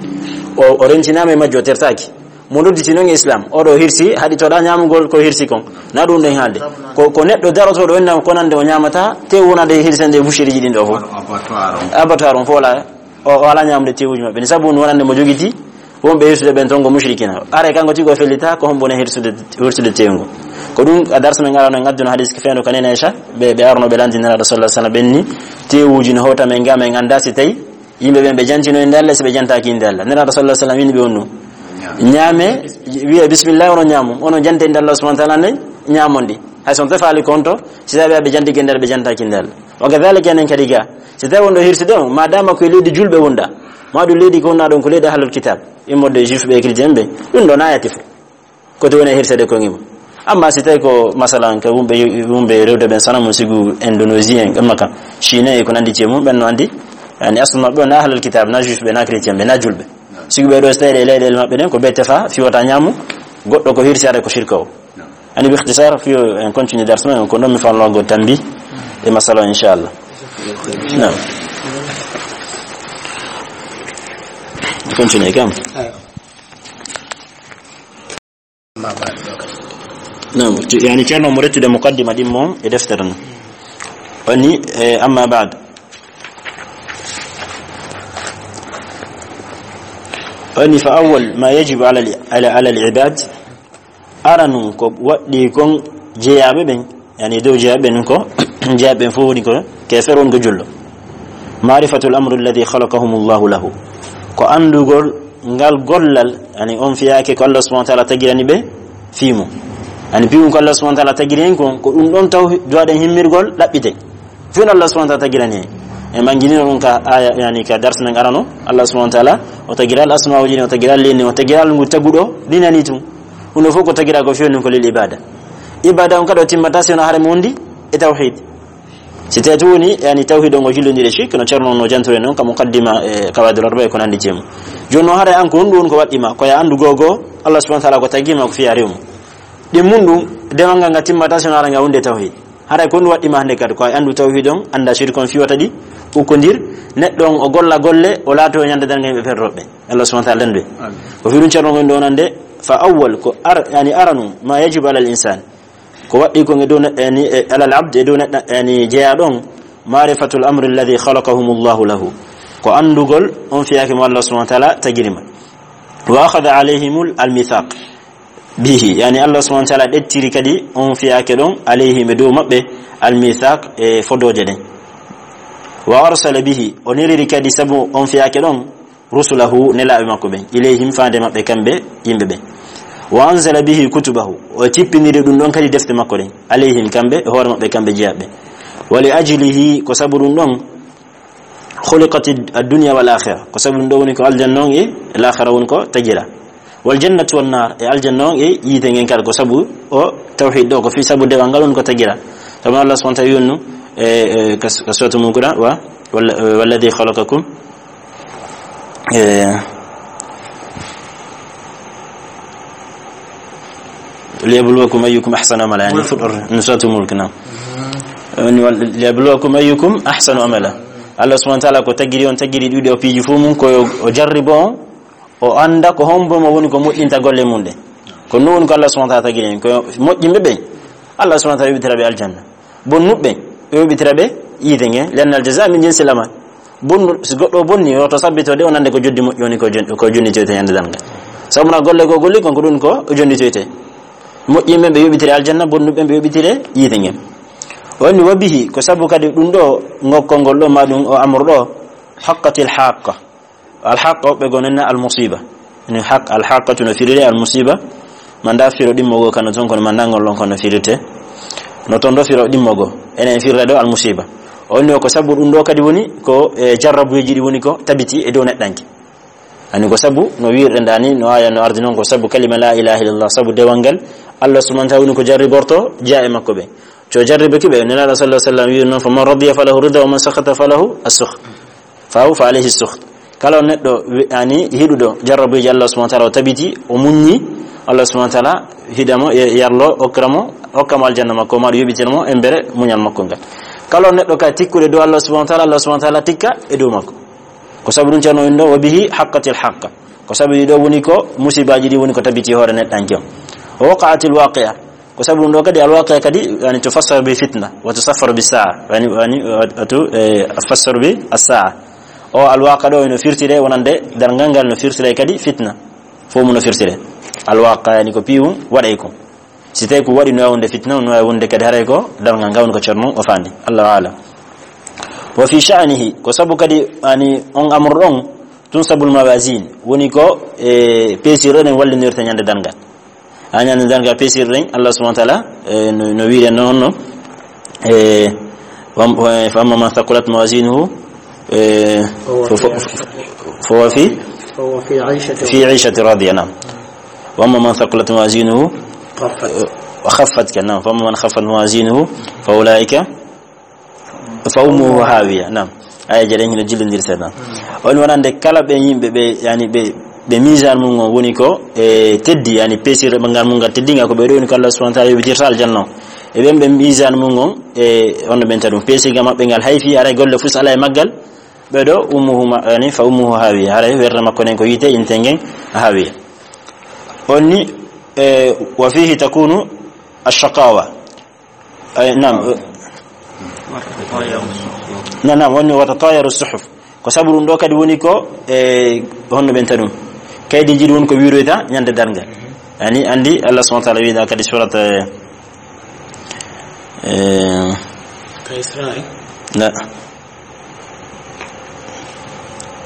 o, o rentinaama e majjo, o tertaaki. Mo nodditi noon e Islam, oɗo hirsi, haɗi toɗa ñaamugol ko hirsi kon. Na ɗum ɗen haalde. Ko, ko neɗɗo darotooɗo wonnama ko nande o ñaamata, tew wonande e hirsande e boucherie ji ɗin ɗo fof. Abattoir on. Abattoir on fof wala, o, o ala ñaamde tewuji maɓɓe. Ni sabu woni wonande mo jogiti, wonɓe hirsude ɓen toon ko mushrikina. Are kanko tigi o fellita, ko hombo woni hirsude, hirsude tewngu. Ko ɗum, a darsa men arano en adduna hadis ko feewndo ka nene Aisha, ɓe, ɓe arno ɓe lanndi Nelaaɗo sallallahu alaihi wasallam ɓen ni, tewuji no hota men ga men annda si tawi yimɓe ɓen ɓe jantino innde Allah, si ɓe jantaaki innde Allah. Nelaaɗo sallallahu alaihi wasallam wini ɓe on ɗum. Ñaame, wiya bismillah, onon ñaamo. Onon jante innde Allah subhanahu wa ta'ala nde ñaamon ɗi. Hay so on tefaali konto, si tawi ɓe jantike innde Allah, ɓe jantaaki innde Allah. Wa kadhalika enen kadi ga. Si tawi wonɗo hirsude on, ma dama ko e leydi julɓe wonɗa, ma ɗum leydi ko wonɗa ɗon ko leydi ahlul kitab, immorde e juif ɓe e chrétien ɓe, ɗum ɗo na yati fof. Ko to woni e hirsede ko ngimo. Amma si tawi ko masalan ka wumɓe, wumɓe rewde ɓen sana mum sigu Indonésie en, ɓen makka, Chine e ko nandi ci e mum, ɓen no andi, yani aslu maɓɓe on na ahlul kitab, na juif ɓe, na chrétien ɓe, na julɓe. Sigu ɓe ɗo so tawi e leyɗeele maɓɓe ɗen, ko ɓe tefa, fiwata ñaamu, goɗɗo ko hirsi hare ko shirka o. Ani bi ikhtisar, fiyo en continue dars men, ko ɗon mi fanno go tambi e masala o, inchallah. Naam. Continue kam. Naam, ci-, yani ceerno mo rettude muqaddima ɗin mo e deftere no. Woni, eh, amma ba'd. Woni fa awwal ma yajibu ala al-, ala, ala al-ibad. Aranun ko waɗɗi kon jeyaaɓe ɓen, yani dow jeyaaɓe ɓen ko, jeyaaɓe ɓen fof woni ko keefer, woni ko julɗo. Ma'rifatul amri alladhi khalaqahumullahu lahu. Ko anndugol ngal gollal, yani on fiyaake ko Allah subhanahu wa ta'ala tagirani ɓe fii mum. Yani fii mum ko Allah subhanahu wa ta'ala tagiri en kon, ko ɗum ɗon taw duwaɗen himmirgol ɗaɓɓite. Fii no Allah subhanahu wa ta'ala tagirani en. En ɓanginino ɗum ka aya, yani ka dars men arano. Allah subhanahu wa ta'ala o tagira al asma'uji ɗin, o tagira al lenni, o tagira al ngu taguɗo ɗinani tun. Ɗum ɗo fof ko tagira ko fii on ko lil ibada. Ibada on kadi o timmata si wona hare mo wondi e tawhid. Si tawi tun woni, yani, tawhid on o jullondiri e shirk, no Ceerno no jantore non, ka muqaddima e Qawaidul Arba'a e ko nandi jeemu. Jooni no hare an ko honɗum woni ko waɗɗi ma? Ko ya anndu gogo, Allah subhanahu wa ta'ala ko tagi ma ko fiya rewmu. Ɗin mun ɗum, dewal ngal nga timmata si wona hare nga wonde tawhid. Haray ko honɗum waɗɗi ma hannde kadi? Ko a anndu tawhid on, annda shirk on fiwata ɗi, ukkondir, neɗɗo on o golla golle, o laato ñande darnga yimɓe perroɓe. Allah subhanahu wa ta'ala dandu. Amin. Ko fii ɗum Ceerno gonɗo wonande, fa awwal, ko ar-, yani aranu, ma yajibu alal insan. Ko waɗɗi kon e dow neɗɗo, yani, e alal abd, e dow neɗɗo, yani, jeyaaɗo on, ma'rifatul amri alladhi khalaqahumullahu lahu. Ko anndugol on fiyaake mo Allah subhanahu wa ta'ala tagiri ma. Wa akhadha alayhimul almithaq bihi. Yani Allah subhanahu wa ta'ala ɗettiri kadi on fiyaake ɗon alayhim e dow maɓɓe almithaq e fodooje ɗen. Wa arsala bihi, o neliri kadi sabu on fiyaake ɗon rusulahu, nelaaɓe makko ɓen, ilayhim, faande maɓɓe kamɓe yimɓe ɓen. Wa anzala bihi kutubahu, o tippiniri ɗum ɗon kadi defte makko ɗen, alayhim, kamɓe, e hoore maɓɓe kamɓe jeyaaɓe. Wa li ajlihi, ko sabu ɗum ɗon, khuliqati ad-dunya wal akhirah, ko sabu ɗum ɗo woni ko aljanna on e laakhira woni ko tagira. Wal jannatu wan nar, e aljanna on e yiite ngen kala, ko sabu o tawhid ɗo, ko fii sabu dewal ngal woni ko tagira. Sabu Allah subhanahu wa ta'ala wi'unno, e, e, ka, ka suratu Mu'mina, wa, wal-, walladhi khalaqakum, e, liyabluwakum ayyukum ahsanu amala, yani, fuɗɗorde, no suratu Mulk, naam. Woni wal-, liyabluwakum ayyukum ahsanu amala. Allah subhanahu wa ta'ala ko tagiri on, tagiri ɗuɗi o piiji fof mum, ko o jarribo on, o annda ko hombo mo woni ko moƴƴinta golle mum ɗen. Ko ɗum woni ko Allah subhanahu wa ta'ala tagiri en. Ko moƴƴinɓe ɓen, Allah subhanahu wa ta'ala yoɓitira ɓe aljanna. Bonnuɓe ɓen, o yoɓitira ɓe yiite ngen. Li anna al jazaa min jinsil amal. Bonnu, si goɗɗo o bonni, o to sabbito de, o nande ko joddi moƴƴi woni ko jon-, ko jonnitoyte ñande darnga. Sabu na golle ko golli kon, ko ɗum ko o jonnitoyte. Moƴƴinɓe ɓe yoɓitire aljanna, bonnuɓe ɓe yoɓitire yiite ngen. O inni wa bihi, ko sabu kadi ɗum ɗo, ngokkol ngol ɗo, ma ɗum o amru ɗo, haqqatil haqqa. Al haqqa, woɓɓe goo nena al musiba. Ni haq-, al haqqatu no firire al musiba. Manda firo ɗimmo goo kano toon, kono manda ngol ɗon kono firite. No toon ɗo firo ɗimmo goo. Enen firre ɗo al musiba. O inni o ko sabu ɗum ɗo kadi woni ko, e, jarrabuyeeji ɗi woni ko tabiti e dow neɗɗanke. Ani ko sabu no wiirɗe nda ni, no aya no ardi noon, ko sabu kalima la ilaha illallah, sabu dewal ngal Allah subhanahu wa ta'ala woni ko jarriborto jeya e makko ɓe. Co jarribaki ɓe, Nelaaɗo sallallahu alaihi wasallam wiiri noon, "Faman radiya falahu rida, wa man sakhata falahu as-sukht." Fahu fa alayhi as-sukht. Kala on neɗɗo wi-, ani hiɗuɗo jarrabuyeeji Allah subhanahu wa ta'ala o tabiti, o muññi, Allah subhanahu wa ta'ala hiɗamo, ye-, yarlo, okkiramo, okkamo aljanna makko, ma ɗum yoɓitiramo embere muñal makko ngal. Kala neɗɗo ka tikkude dow Allah subhanahu wa ta'ala, Allah subhanahu wa ta'ala tikka e dow makko. Ko sabu ɗum Ceerno woni ɗo, "Wa bihi haqqatil haqqa." Ko sabu ɗi ɗo woni ko musibaaji ɗi woni ko tabiti hoore neɗɗanke on. "Wa waqa'atil waqi'a." Ko sabu ɗum ɗo kadi, al waqi'a kadi, yani, tufassaru bi fitna, wa tusaffaru bi sa'a. Yani, yani, wa tu, eh, fassaru bi as-sa'a. O al waqi'a ɗo ino firtire wonande darngal ngal, no firtire kadi fitna. Fof mu no firtire. Al waqi'a, yani, ko piiwum waɗay ko. Si tawi ko waɗi no wonde fitna, no wonde kadi haray ko darngal ngal woni ko Ceerno o faandi. Allahu a'lam. Wa fi sha'nihi, ko sabu kadi, yani, on amru ɗon, tunsabul mawazin, woni ko, e, peesirɗe ɗen wallinirta ñande darngal. Ha ñande darngal peesirɗe ɗen, Allah subhanahu wa ta'ala, e, no, no wi'en non honno, e, wa-, wa-, fa amma man thaqulat mawazinuhu, e, فهو fa-, في fa-, fa-, فهو في, فهو في عيشة fi 'ishatin radiya, na'am. Wa amma man thaqulat mawazinuhu, خفت. Khaffat, kan, na'am. Fa amma man khaffat mawazinuhu, fa ulaika fa ummuhu hawiya, nam. Aya jeɗen hino jillondiri seeɗa. On wonande kala ɓe yimɓe ɓe, yani, ɓe, ɓe misaan mum on woni ko e teddi, yani, peesirɗe ngal mum ngal teddinga, ko ɓe ɗo woni ko Allah subhanahu wa ta'ala yoɓitirta aljanna o. E ɓen ɓe misaan mum on, e on ɓen taɗum. Peesirga maɓɓe ngal hayfi, haray golle fus ala e maggal. Ɓe ɗo ummuhu ma-, yani, fa ummuhu hawiya. Haray werde makko nden ko yiite inten ngen hawiya. On ni, e, wa fihi takunu ash-shaqawa. Ay, naam. Na, naam, woni wa tatayaru suhuf. Ko sabu ɗum ɗo kadi woni ko, e, honno ɓen taɗum. Kaydiiji ɗi woni ko wiiroyta ñande darngal. Yani, andi Allah subhanahu wa ta'ala wiida kadi surat, e, e, Ka Isra'i? La.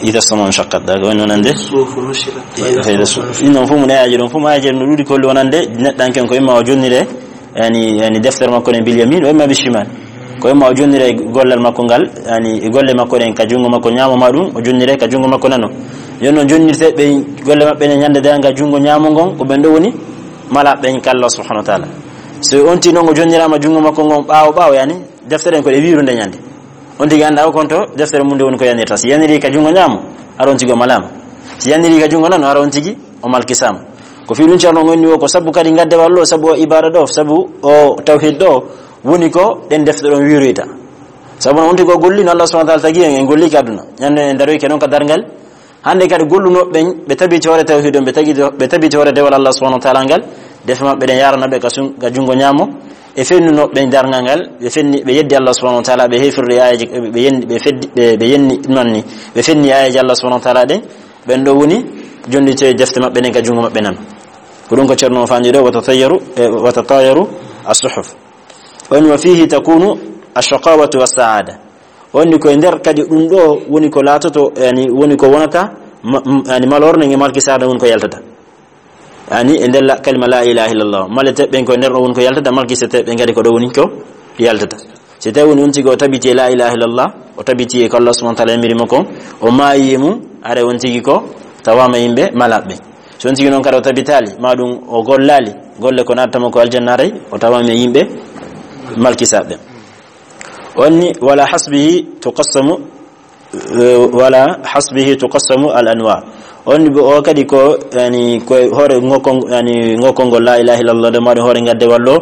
Idha as-sama'u inshaqqat, daga woni wonande. Suhufu nushirat. Idha as-suhufu nushirat. Ɗin ɗon fof mo ne ayaji ɗon fof, mo ayaji no ɗuuɗi ko holli wonande neɗɗanke on ko imma o jonnire, yani, yani deftere makko nden bil yamin, o imma bil shimal. Ko imma o jonnire gollal makko ngal, yani e golle makko ɗen ka junngo makko ñaamo ma ɗum, o jonnire ka junngo makko nano. Yon no jonnirte ɓe golle maɓɓe ɗen ñande darngal junngo ñaamo ngon, ko ɓen ɗo woni malaaɓe ɓen ka Allah subhanahu wa ta'ala. So on tigi non o jonniraama junngo makko ngon ɓaawo ɓaawo, yani, deftere ɗen ko ɗe wiirude ñande. On tigi annda o konto deftere mum nde woni ko yanirta. Si yaniri ka junngo ñaamo, hara on tigi o malaama. Si yaniri ka junngo nano, hara on tigi o malkisaama. Ko fii ɗum Ceerno on woni o, ko sabu kadi ngaddewal ɗo, sabu o ibaada ɗo, sabu o tawhid ɗo, woni ko ɗen defte ɗon wiiroyta. Sabu on tigi o golli no Allah subhanahu wa ta'ala tagi en, en golli ka aduna. Ñande en daroyke non ka darngal, hannde kadi gollunoɓe ɓen, ɓe tabiti hoore tawhid on, ɓe tagi-, ɓe tabiti hoore dewal Allah subhanahu wa ta'ala ngal, defe maɓɓe ɗen yarana ɓe ka sun-, ka junngo ñaamo, e fennunoɓe ɓen darngal ngal, ɓe fenni, ɓe yeddi Allah subhanahu wa ta'ala, ɓe hefirde aayeeje, ɓe, ɓe yenni, ɓe feddi, ɓe, ɓe yenni, non ni, ɓe fenni aayeeje Allah subhanahu wa ta'ala ɗen, ɓen ɗo woni jonnite defte maɓɓe ɗen ka junngo maɓɓe nano. Ko ɗum ko Ceerno o faandi ɗo, wa tatayyaru, e, wa tatayaru as-suhuf. On wa fihi takunu ash-shaqawatu was-sa'ada. Woni ko e nder kadi ɗum ɗo woni ko laatoto, yani, woni ko wonata ma-, m-, yani, malorne nge malki saada woni ko yaltata. Yani, e nder la-, kalima la ilaha illallah. Malete ɓen ko e nder ɗo woni ko yaltata, malki sete ɓen kadi ko ɗo woni ko yaltata. Si tawi woni on tigi o tabiti e la ilaha illallah, o tabiti e ko Allah subhanahu wa ta'ala yamiri mo kon, o maayi e mum, haray on tigi ko tawama yimɓe malaɓe. So on tigi non kadi o tabitaali, ma ɗum o gollaali, golle ko natta mo ko aljanna haray, o tawama yimɓe malkisaɓe. Onni, wala hasbihi tuqassamu, eh, wala hasbihi tuqassamu al anwa. Onni bo o kadi ko, yani, ko hoore ngokon-, yani, ngokongol la ilaha illallah, de maɗum hoore ngaddewal ɗo,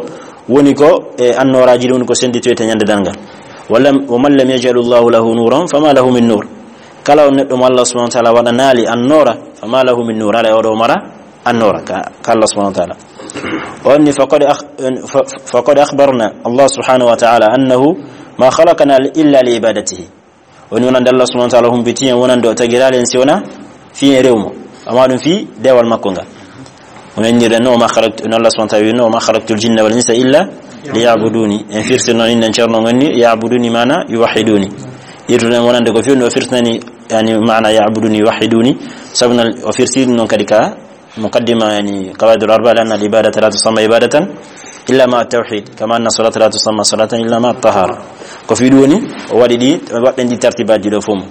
woni ko e annooraaji ɗi woni ko sennditoyta ñande darngal. Wa lam, wa man lam yaj'al Allahu lahu nuran, fama lahu min nur. Kala on neɗɗo mo Allah subhanahu wa ta'ala waɗanaali annoora, fama lahu min nur, alaa e oɗo mara annoora ka, ka Allah subhanahu wa ta'ala. Onni, faqad akh-, fa-, faqad akhbarna Allah subhanahu wa ta'ala annahu ma khalaqana illa li ibadatihi. Woni wonande Allah subhanahu wa ta'ala humpiti en, wonande o tagiraali en si wona fii en rewmo. Amma ɗum fii dewal makko ngal. Woni innirde no, "Wa ma khalaqtu", no Allah subhanahu wa ta'ala wi no, "Wa ma khalaqtul jinna wal insa illa liya'buduni." En firti noon innen Ceerno ngoni, "Ya'buduni" maana "yuwahhiduni." Irtude en wonande ko fii no o firtinani, yani, maana "ya'buduni", "yuwahhiduni". Sabu no o firti ɗum noon kadi ka muqaddima, yani, qawaidul arba, li anna al ibadata la tusamma ibadatan illa ma tawhid, kama anna salata la tusamma salatan illa ma tahara. Ko fii ɗum woni, o waɗi ɗi, waɗɗen ɗi tartibaji ɗo fof mum.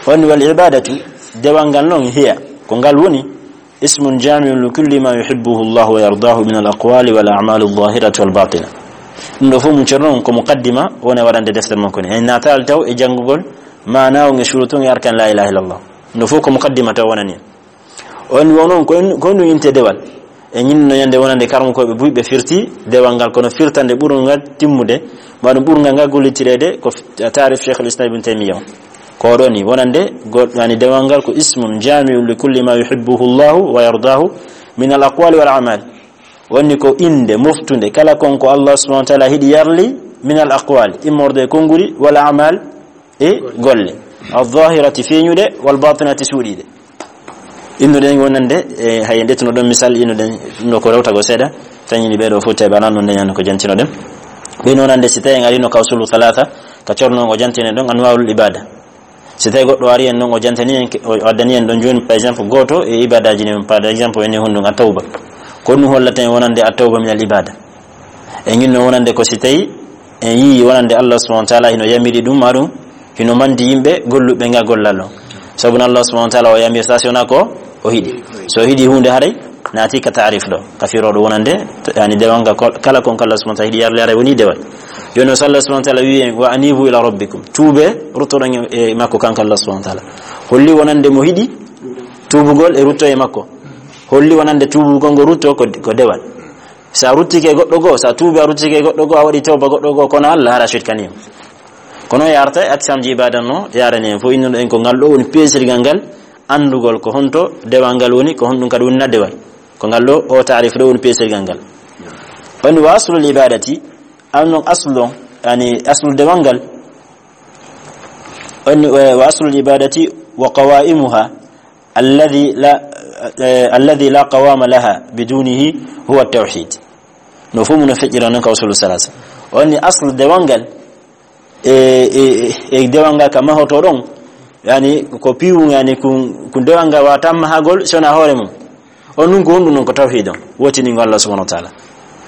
Woni wal ibadatu, dewal ngal noon, hiya, ko ngal woni, ismun jami'un li kulli ma yuhibbuhu Allah wa yardahu min al aqwali wal a'mali al zahirati wal batina. Ɗum ɗo fof mum Ceerno noon ko muqaddima, woni waɗande deftere makko ni. En naataali taw e janngugol maana on e shurutu on e arkan la ilaha illallah. Ɗum ɗo fof ko muqaddima taw wonani. On wo noon, ko en, ko ɗum inte dewal. E ñinno ñande wonande karmukooɓe buy ɓe firti dewal ngal, kono firtande ɓurngal timmude, ma ɗum ɓurngal ngal gollitireede ko f-, taarif Cheikhul Islam Ibn Taymiyya on. Ko ɗo ni wonande go-, yani dewal ngal ko ismun jami'un li kulli ma yuhibbuhu Allahu wa yardahu min al aqwali wal a'mal. Woni ko innde moftunde kala kon ko Allah subhanahu wa ta'ala hiɗi yarli min al aqwali, immorde e konnguli, wal a'mal, e golle, al-zahirati feeñuɗe, wal batinati suuɗiiɗe. Innuɗen wonande, e, hay ndetuno ɗon misal, innuɗen no ko rewtago seeɗa, tañini ɓeɗo fof teɓe anan ɗum ndeñan ko jantinoɗen. Ɓe wonande si tawi en arino ka usulu thalatha, ka corno ngo jantinen ɗon anwaul ibada. Si tawi goɗɗo ari en ɗon o jantani en, o addani en ɗon jooni, par exemple, gooto e ibadaji ɗin, par exemple, ene honɗum at-tawba. Ko ɗum hollata en wonande at-tawba min al ibada. E ñinno wonande ko si tawi en yii wonande Allah subhanahu wa ta'ala hino yamiri ɗum, ma ɗum hino mandi yimɓe golluɓe nga gollal on. Sabu no Allah subhanahu wa ta'ala o yamirta si wona ko o hiɗi. So o hiɗi huunde haray naati ka taarif ɗo, ka firooɗo wonande, yani dewal ngal kol-, kala kon ko Allah subhanahu wa ta'ala hiɗi yarli haray woni dewal. Jooni o so Allah subhanahu wa ta'ala wi en, "Wa anibu ila rabbikum." Tuube, ruttoɗon e, e makko kanko Allah subhanahu wa ta'ala. Holli wonande mo hiɗi tuubugol e rutto e makko. Holli wonande tuubugol ngo rutto ko, ko dewal. Sa ruttike goɗɗo goo, sa tuubi a ruttike goɗɗo goo, a waɗi tawba goɗɗo goo, kono Allah hara shirkani mo. Kono yarta e aksamji ibada no yarani en fof, innuɗo en ko ngal ɗo woni peesirgal ngal, anndugol ko honto dewal ngal woni, ko honɗum kadi woni na dewal. Ko ngal ɗo, o taarif ɗo woni peesirgal ngal. Woni wa aslul ibadati, an non aslu on, yani aslu dewal ngal. Woni wa, wa aslul ibadati wa qawaimuha, alladhi la, eh, alladhi la qawama laha bidunihi huwa tawhid. No fof mun no feƴƴira noon ka usulu salasa. Woni aslu dewal ngal, e, e, e dewal ngal ka mahoto ɗon, yani ko piwu, yani kun, kun dewal ngal wata mahagol sona hoore mum. On ɗum ko honɗum noon ko tawhid on, wotiningol Allah subhanahu wa ta'ala.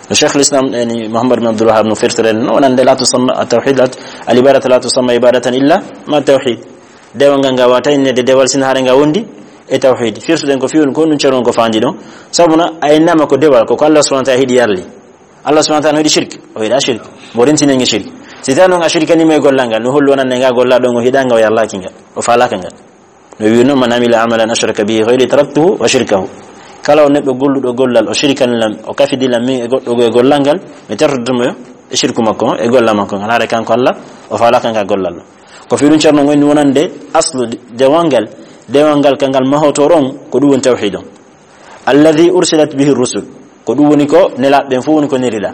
No Cheikhul Islam, yani Muhammad bin Abdul Wahhab no firtire no wonande la tusamma at-tawhid, la, al ibadatu la tusamma ibadatan illa ma tawhid. Dewal ngal ngal wata innede dewal sina haare ngal wondi e tawhid. Firtuɗen ko fiwun ko ɗum ceron ko fandi ɗon. Sabu na a innama ko dewal ko, ko Allah subhanahu wa ta'ala hiɗi yarli. Allah subhanahu wa ta'ala no yiɗi shirk, o yiɗa shirk. Mo rentinenge shirk. Si tawi noon a shirkani mo e gollal ngal, no hollu wonande ngal gollal ɗon o hiɗa ngal, o yarlaki ngal, o falaka ngal. No wi'uno, "Man amila amalan ashraka bihi ghayri taraktuhu wa shirkahu." Kala on neɗɗo golluɗo gollal, o shirkani lam, o kafidi lam min e goɗɗo goo e gollal ngal, mi tertoto mo e shirku makko on, e gollal makko ngal. Haare kanko Allah, o falaka ngal gollal ɗon. Ko fii ɗum ceerno ngoni wonande aslu dewal ngal, dewal ngal ka ngal mahoto ɗon, ko ɗum woni tawhid on. Alladhi ursilat bihi rusul, ko ɗum woni ko nelaaɓe ɓen fof woni ko nelila.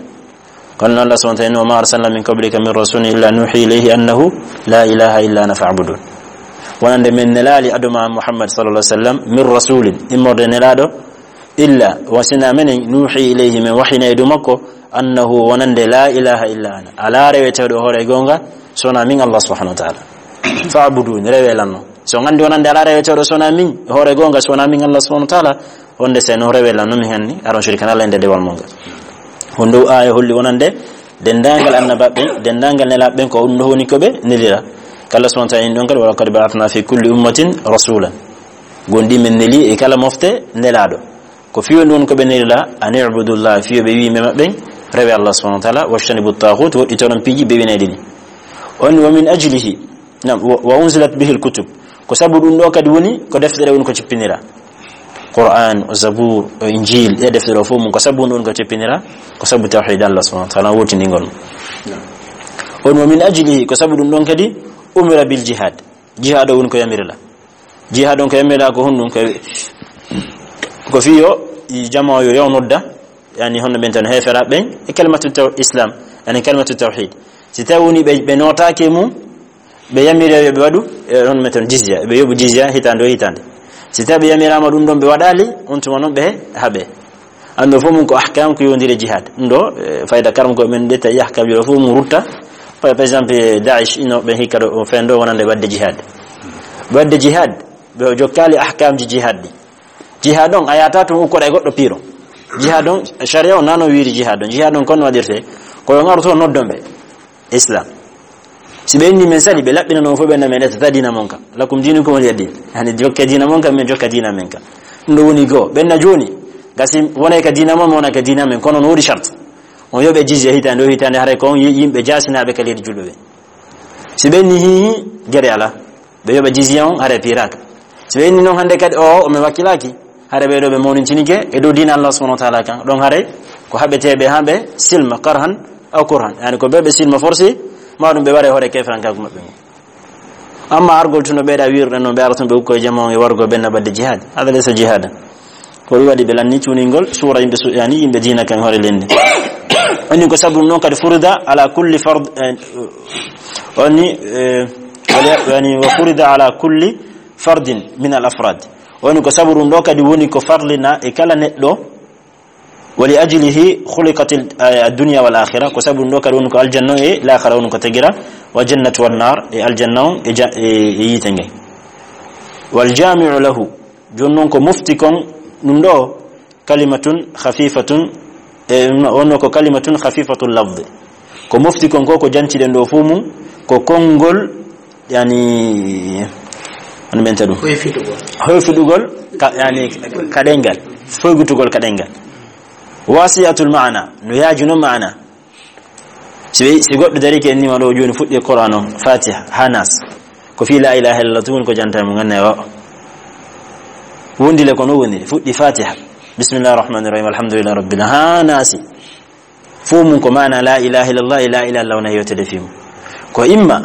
Kono noon Allah subhanahu wa ta'ala, "Wa ma arsalna min qablika min rasulin illa nuhi ilayhi annahu la ilaha illa ana fa'budun." Wonande men nelaali aduma Muhammad sallallahu alaihi wasallam min rasulin, immorde nelaaɗo, illa wasina menen nuhi ilayhi, men wahina e dow makko, annahu wonande la ilaha illa ana, alaa reweteeɗo hoore e goonga so wonaa min Allah subhanahu wa ta'ala. Fa'budun, rewe lan non. So on anndi wonande alaa reweteeɗo so wonaa min, hoore goonga so wonaa min Allah subhanahu wa ta'ala, wonde si non rewe lan non min hanni, aron shirkan Allah e nder dewal mon ngal. Ko ndu aaya holli wonande denndaangal annabaaɓe ɓen, denndaangal nelaaɓe ɓen ko ɗum ɗo woni ko ɓe nelira. Kala subhanahu wa ta'ala in ɗon kadi, "Wa laqad ba'athna fi kulli ummatin rasulan." Gonɗi men neli e kala mofte nelaaɗo. Ko fii ɗum woni ko ɓe nelila, "An i'budullah," fii ɓe wii ɓe maɓɓe, rewe Allah subhanahu wa ta'ala, "wajtanibu taghut," woɗɗitoron piiji bewinayɗi ɗi. On wa min ajlihi, nam, wa, wa unzilat bihil kutub. Ko sabu ɗum ɗo kadi woni ko deftere woni ko cippinira. Qur'an, o Zabur, o Injil, ɗe deftere o fof mum ko sabu ɗum ɗo woni ko cippinira, ko sabu tawhid Allah subhanahu wa ta'ala, wotiningol. On wa min ajlihi, ko sabu ɗum ɗon kadi umira bil jihad. Jihad o woni ko yamirila. Jihad on ko yamirila ko honɗum? Ko, ko fii yo i jamaa yo, yo nodda, yani honno ɓen tan heefera ɓen, e kalimatu taw-, islam, yani kalimatu tawhid. Si tawi woni ɓe, ɓe nootaaki e mum, ɓe yamiri yo ɓe waɗu, e honno men tan jizya, ɓe yoɓu jizya hitaande o hitaande. Si tawi ɓe yamiraama ɗum ɗon ɓe waɗaali, on tuma noon ɓe haɓe. Anndo fof mum ko ahkam ko yowndiri e jihad. Ɗum ɗo, eh, fayda karam ko men ƴetta e ahkam ɗo fof mum rutta. Par, par exemple, eh, Daesh ino ɓe hikka ɗo, o fen ɗo wonande waɗde jihad. Waɗde jihad, ɓe o jokkaali ahkamji jihad ɗi. Jihad on, a yahata tun ukkoɗa e goɗɗo piiro. Jihad on, sharia on nano wiiri jihad on. Jihad on kon waɗirte, ko yo ngaru to noddon ɓe. Islam. Si ɓe inni men sali, ɓe laɓɓina non fof ɓe na men ƴetta diina mon ka. Lakum dinukum waliya din. Yani jokke diina mon ka, men jokka diina men ka. Ɗum ɗo woni goo. Ɓen na jooni, gasi wonay ka diina mon, wona ka diina men. Kono no woodi shart. On yoɓe jizya hitaande o hitaande, haray ko on yi-, yimɓe jaasinaaɓe ka leydi julɓe ɓe. Si ɓe inni hi, hi, gere ala. Ɓe yoɓa jizya on, haray piiraaka. Si ɓe inni non hannde kadi, o, o men wakkilaaki. Hare ɓe ɗo ɓe mawnintinike e dow diina Allah subhanahu wa ta'ala kan. Ɗon hare ko haɓeteeɓe haa ɓe silma, karhan aw kurhan. Yani ko ɓe ɓe silma forsi, ma ɗum ɓe ware hoore kefrankaaku maɓɓe ngun. Amma argol tun no ɓeyɗa wiruɗen noon, ɓe ara tun ɓe ukko e jama on e wargo ɓenna ɓadde jihadi. Hada laysa jihada. Ko ɗum waɗi ɓe lanni cuningol suura yimɓe su-, yani yimɓe diina kan hoore leydi. Onni ko sabu ɗum noon kadi furida ala kulli fard, eh, onni, eh, wala, yani wa furida ala kulli fardin min al afrad. Woni ko sabu ɗum ɗo kadi woni ko farlina e kala neɗɗo. Wa li ajlihi khuliqat al, eh, ad-dunya wal akhirah. Ko sabu ɗum ɗo kadi woni ko aljanna e laakhara woni ko tagira. Wa jannatu wan nar, e aljanna on e ja-, e, e yiite ngen. Wal jami'u lahu. Jooni noon ko mofti kon ɗum ɗo kalimatun khafifatun, e, wonno ko kalimatun khafifatul lafdi. Ko mofti kon ko, ko janciɗen ɗo fuu mum, ko konngol, yani, on ɓenta ɗum. Hoyfidugol. Hoyfidugol, ka, yani, ka ɗengal. Foygutugol ka ɗengal. Wasi'atul ma'ana, no yaajuno ma'ana. Si ɓe, si goɗɗo darike en nima ɗo jooni fuɗɗi e Qur'an on, Fatiha, haa Nas. Ko fii la ilaha illallah tun woni ko janta mo ganna wa. Wondile ko no wondile. Fuɗɗi Fatiha. Bismillahir rahmanir rahim. Alhamdulillahi rabbil, haa Nasi. Fof mum ko maana la ilaha illallah e la ilaha illallah wona yewtede fii mum. Ko imma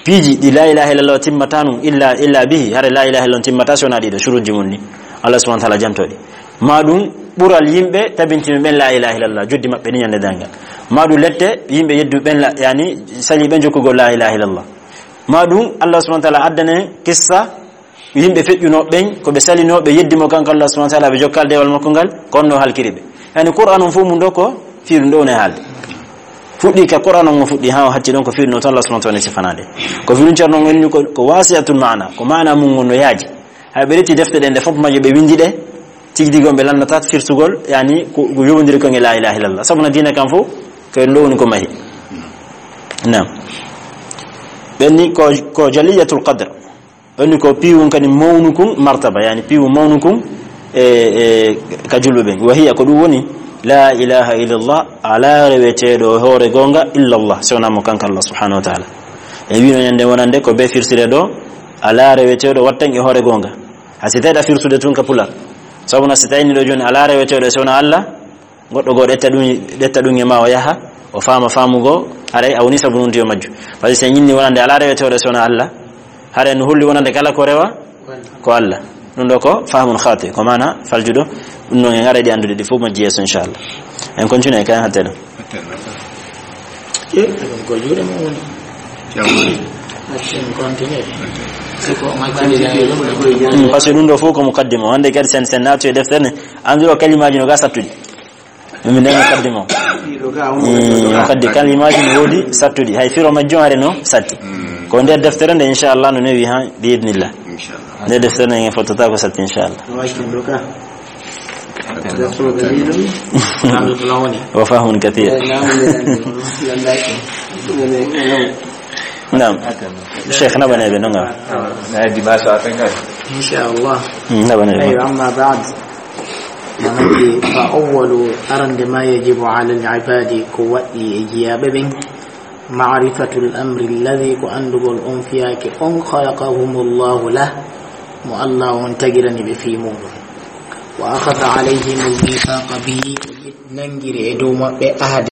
piiji ɗi la ilaha illallah timmata nun illa, illa bihi. Hare la ilaha illallah timmata si wona ɗiɗo shuruji mum ni. Allah subhanahu wa ta'ala jantoɗi. Ma ɗum ɓural yimɓe tabintino ɓen la ilaha illallah, joddi maɓɓe ni ñande dangal. Ma ɗum lette yimɓe yeddu ɓen la, yani sali ɓen jokkugol la ilaha illallah. Ma ɗum Allah subhanahu wa ta'ala addane kissa yimɓe feƴƴunoo ɓen, ko ɓe salinoo, ɓe yeddi mo kanko Allah subhanahu wa ta'ala, ɓe jokkaali dewal makko ngal, ko on no halkiri ɓe. Yani Qur'an on fof mum ɗo ko fii ɗum ɗo woni haalde. Fuɗɗi ka Qur'an on o fuɗɗi haa o hatti ɗon ko fii ɗum ɗo tan Allah subhanahu wa ta'ala sifanaade. Ko fii ɗum Ceerno on inni ko, ko wasi'atul maana, ko maana mum ngon no yaaji. Hay ɓe reti defte ɗen ɗe fof majje ɓe windi ɗe, tigi tigi on ɓe lannataa firtugol, yani ko, ko yowondiri kon e la ilaha illallah. Sabu na diina kan fof, ko ɗum ɗo woni ko mahi. Naam. Ɓen ni ko, ko jaliyatul qadr. Woni ko piiwun kadi mawnukun martaba, yani piiwu mawnukun e, e ka julɓe ɓen. Wa hiya, ko ɗum woni, la ilaha illallah, alaa reweteeɗo e hoore goonga illallah, si wonaa mo kanko Allah subhanahu wa ta'ala. E wino ñande wonande ko be firtire ɗo, alaa reweteeɗo wattan e hoore goonga. Ha si tawi ɗa firtude tun ka pular. Sabu na si tawi ni ɗo jooni alaa reweteeɗo si wonaa Allah, goɗɗo goo ƴetta ɗum, ƴetta ɗum e ma o yaha, o faama faamu goo, haray a woni sabu nunti yo majju. Parce que si en ñinni wonande alaa reweteeɗo si wonaa Allah, haray no holli wonande kala ko rewa ko Allah. Ɗum ɗo ko fahmun khati, ko maana faljuɗo. Ɗum ɗon en aray ɗi anndude ɗi fof majji yeeso, inchallah. En continue e kayen hattee ɗo. Ko juuɗe mum woni. Accu en continue. Si ko majji. Hmm, parce que ɗum ɗo fof ko mukaddima. Wonde kadi sen, sen naatu e deftere nde, anndiro kalimaaji no ga sattude. Min nden mukaddima o. Eh, o kaddi kalimaaji no woodi sattuɗi. Hay firo majjum are no satti. Ko nder deftere nde, inchallah, no newi ha, bi idnillah. Inchallah. Nder deftere nde en fottata ko satti, inchallah. Wa fahmun kathir. Naam. Cheikh, naɓanee ɓe, no ngam? Inchallah. Hmm, naɓanee ɓe. Aywa, amma ba'd. Manake, fa awwalu, arande ma yajibu ala al-ibadi, ko waɗɗi e jiyaaɓe ɓen, ma'rifatul amri alladhi, ko anndugol on fiyaake on, khalaqahumullahu lah, mo Allah on tagirani ɓe fii muɗum. Wa akhadha alayhimul mithaqa bihi, nangiri e dow maɓɓe ahadi.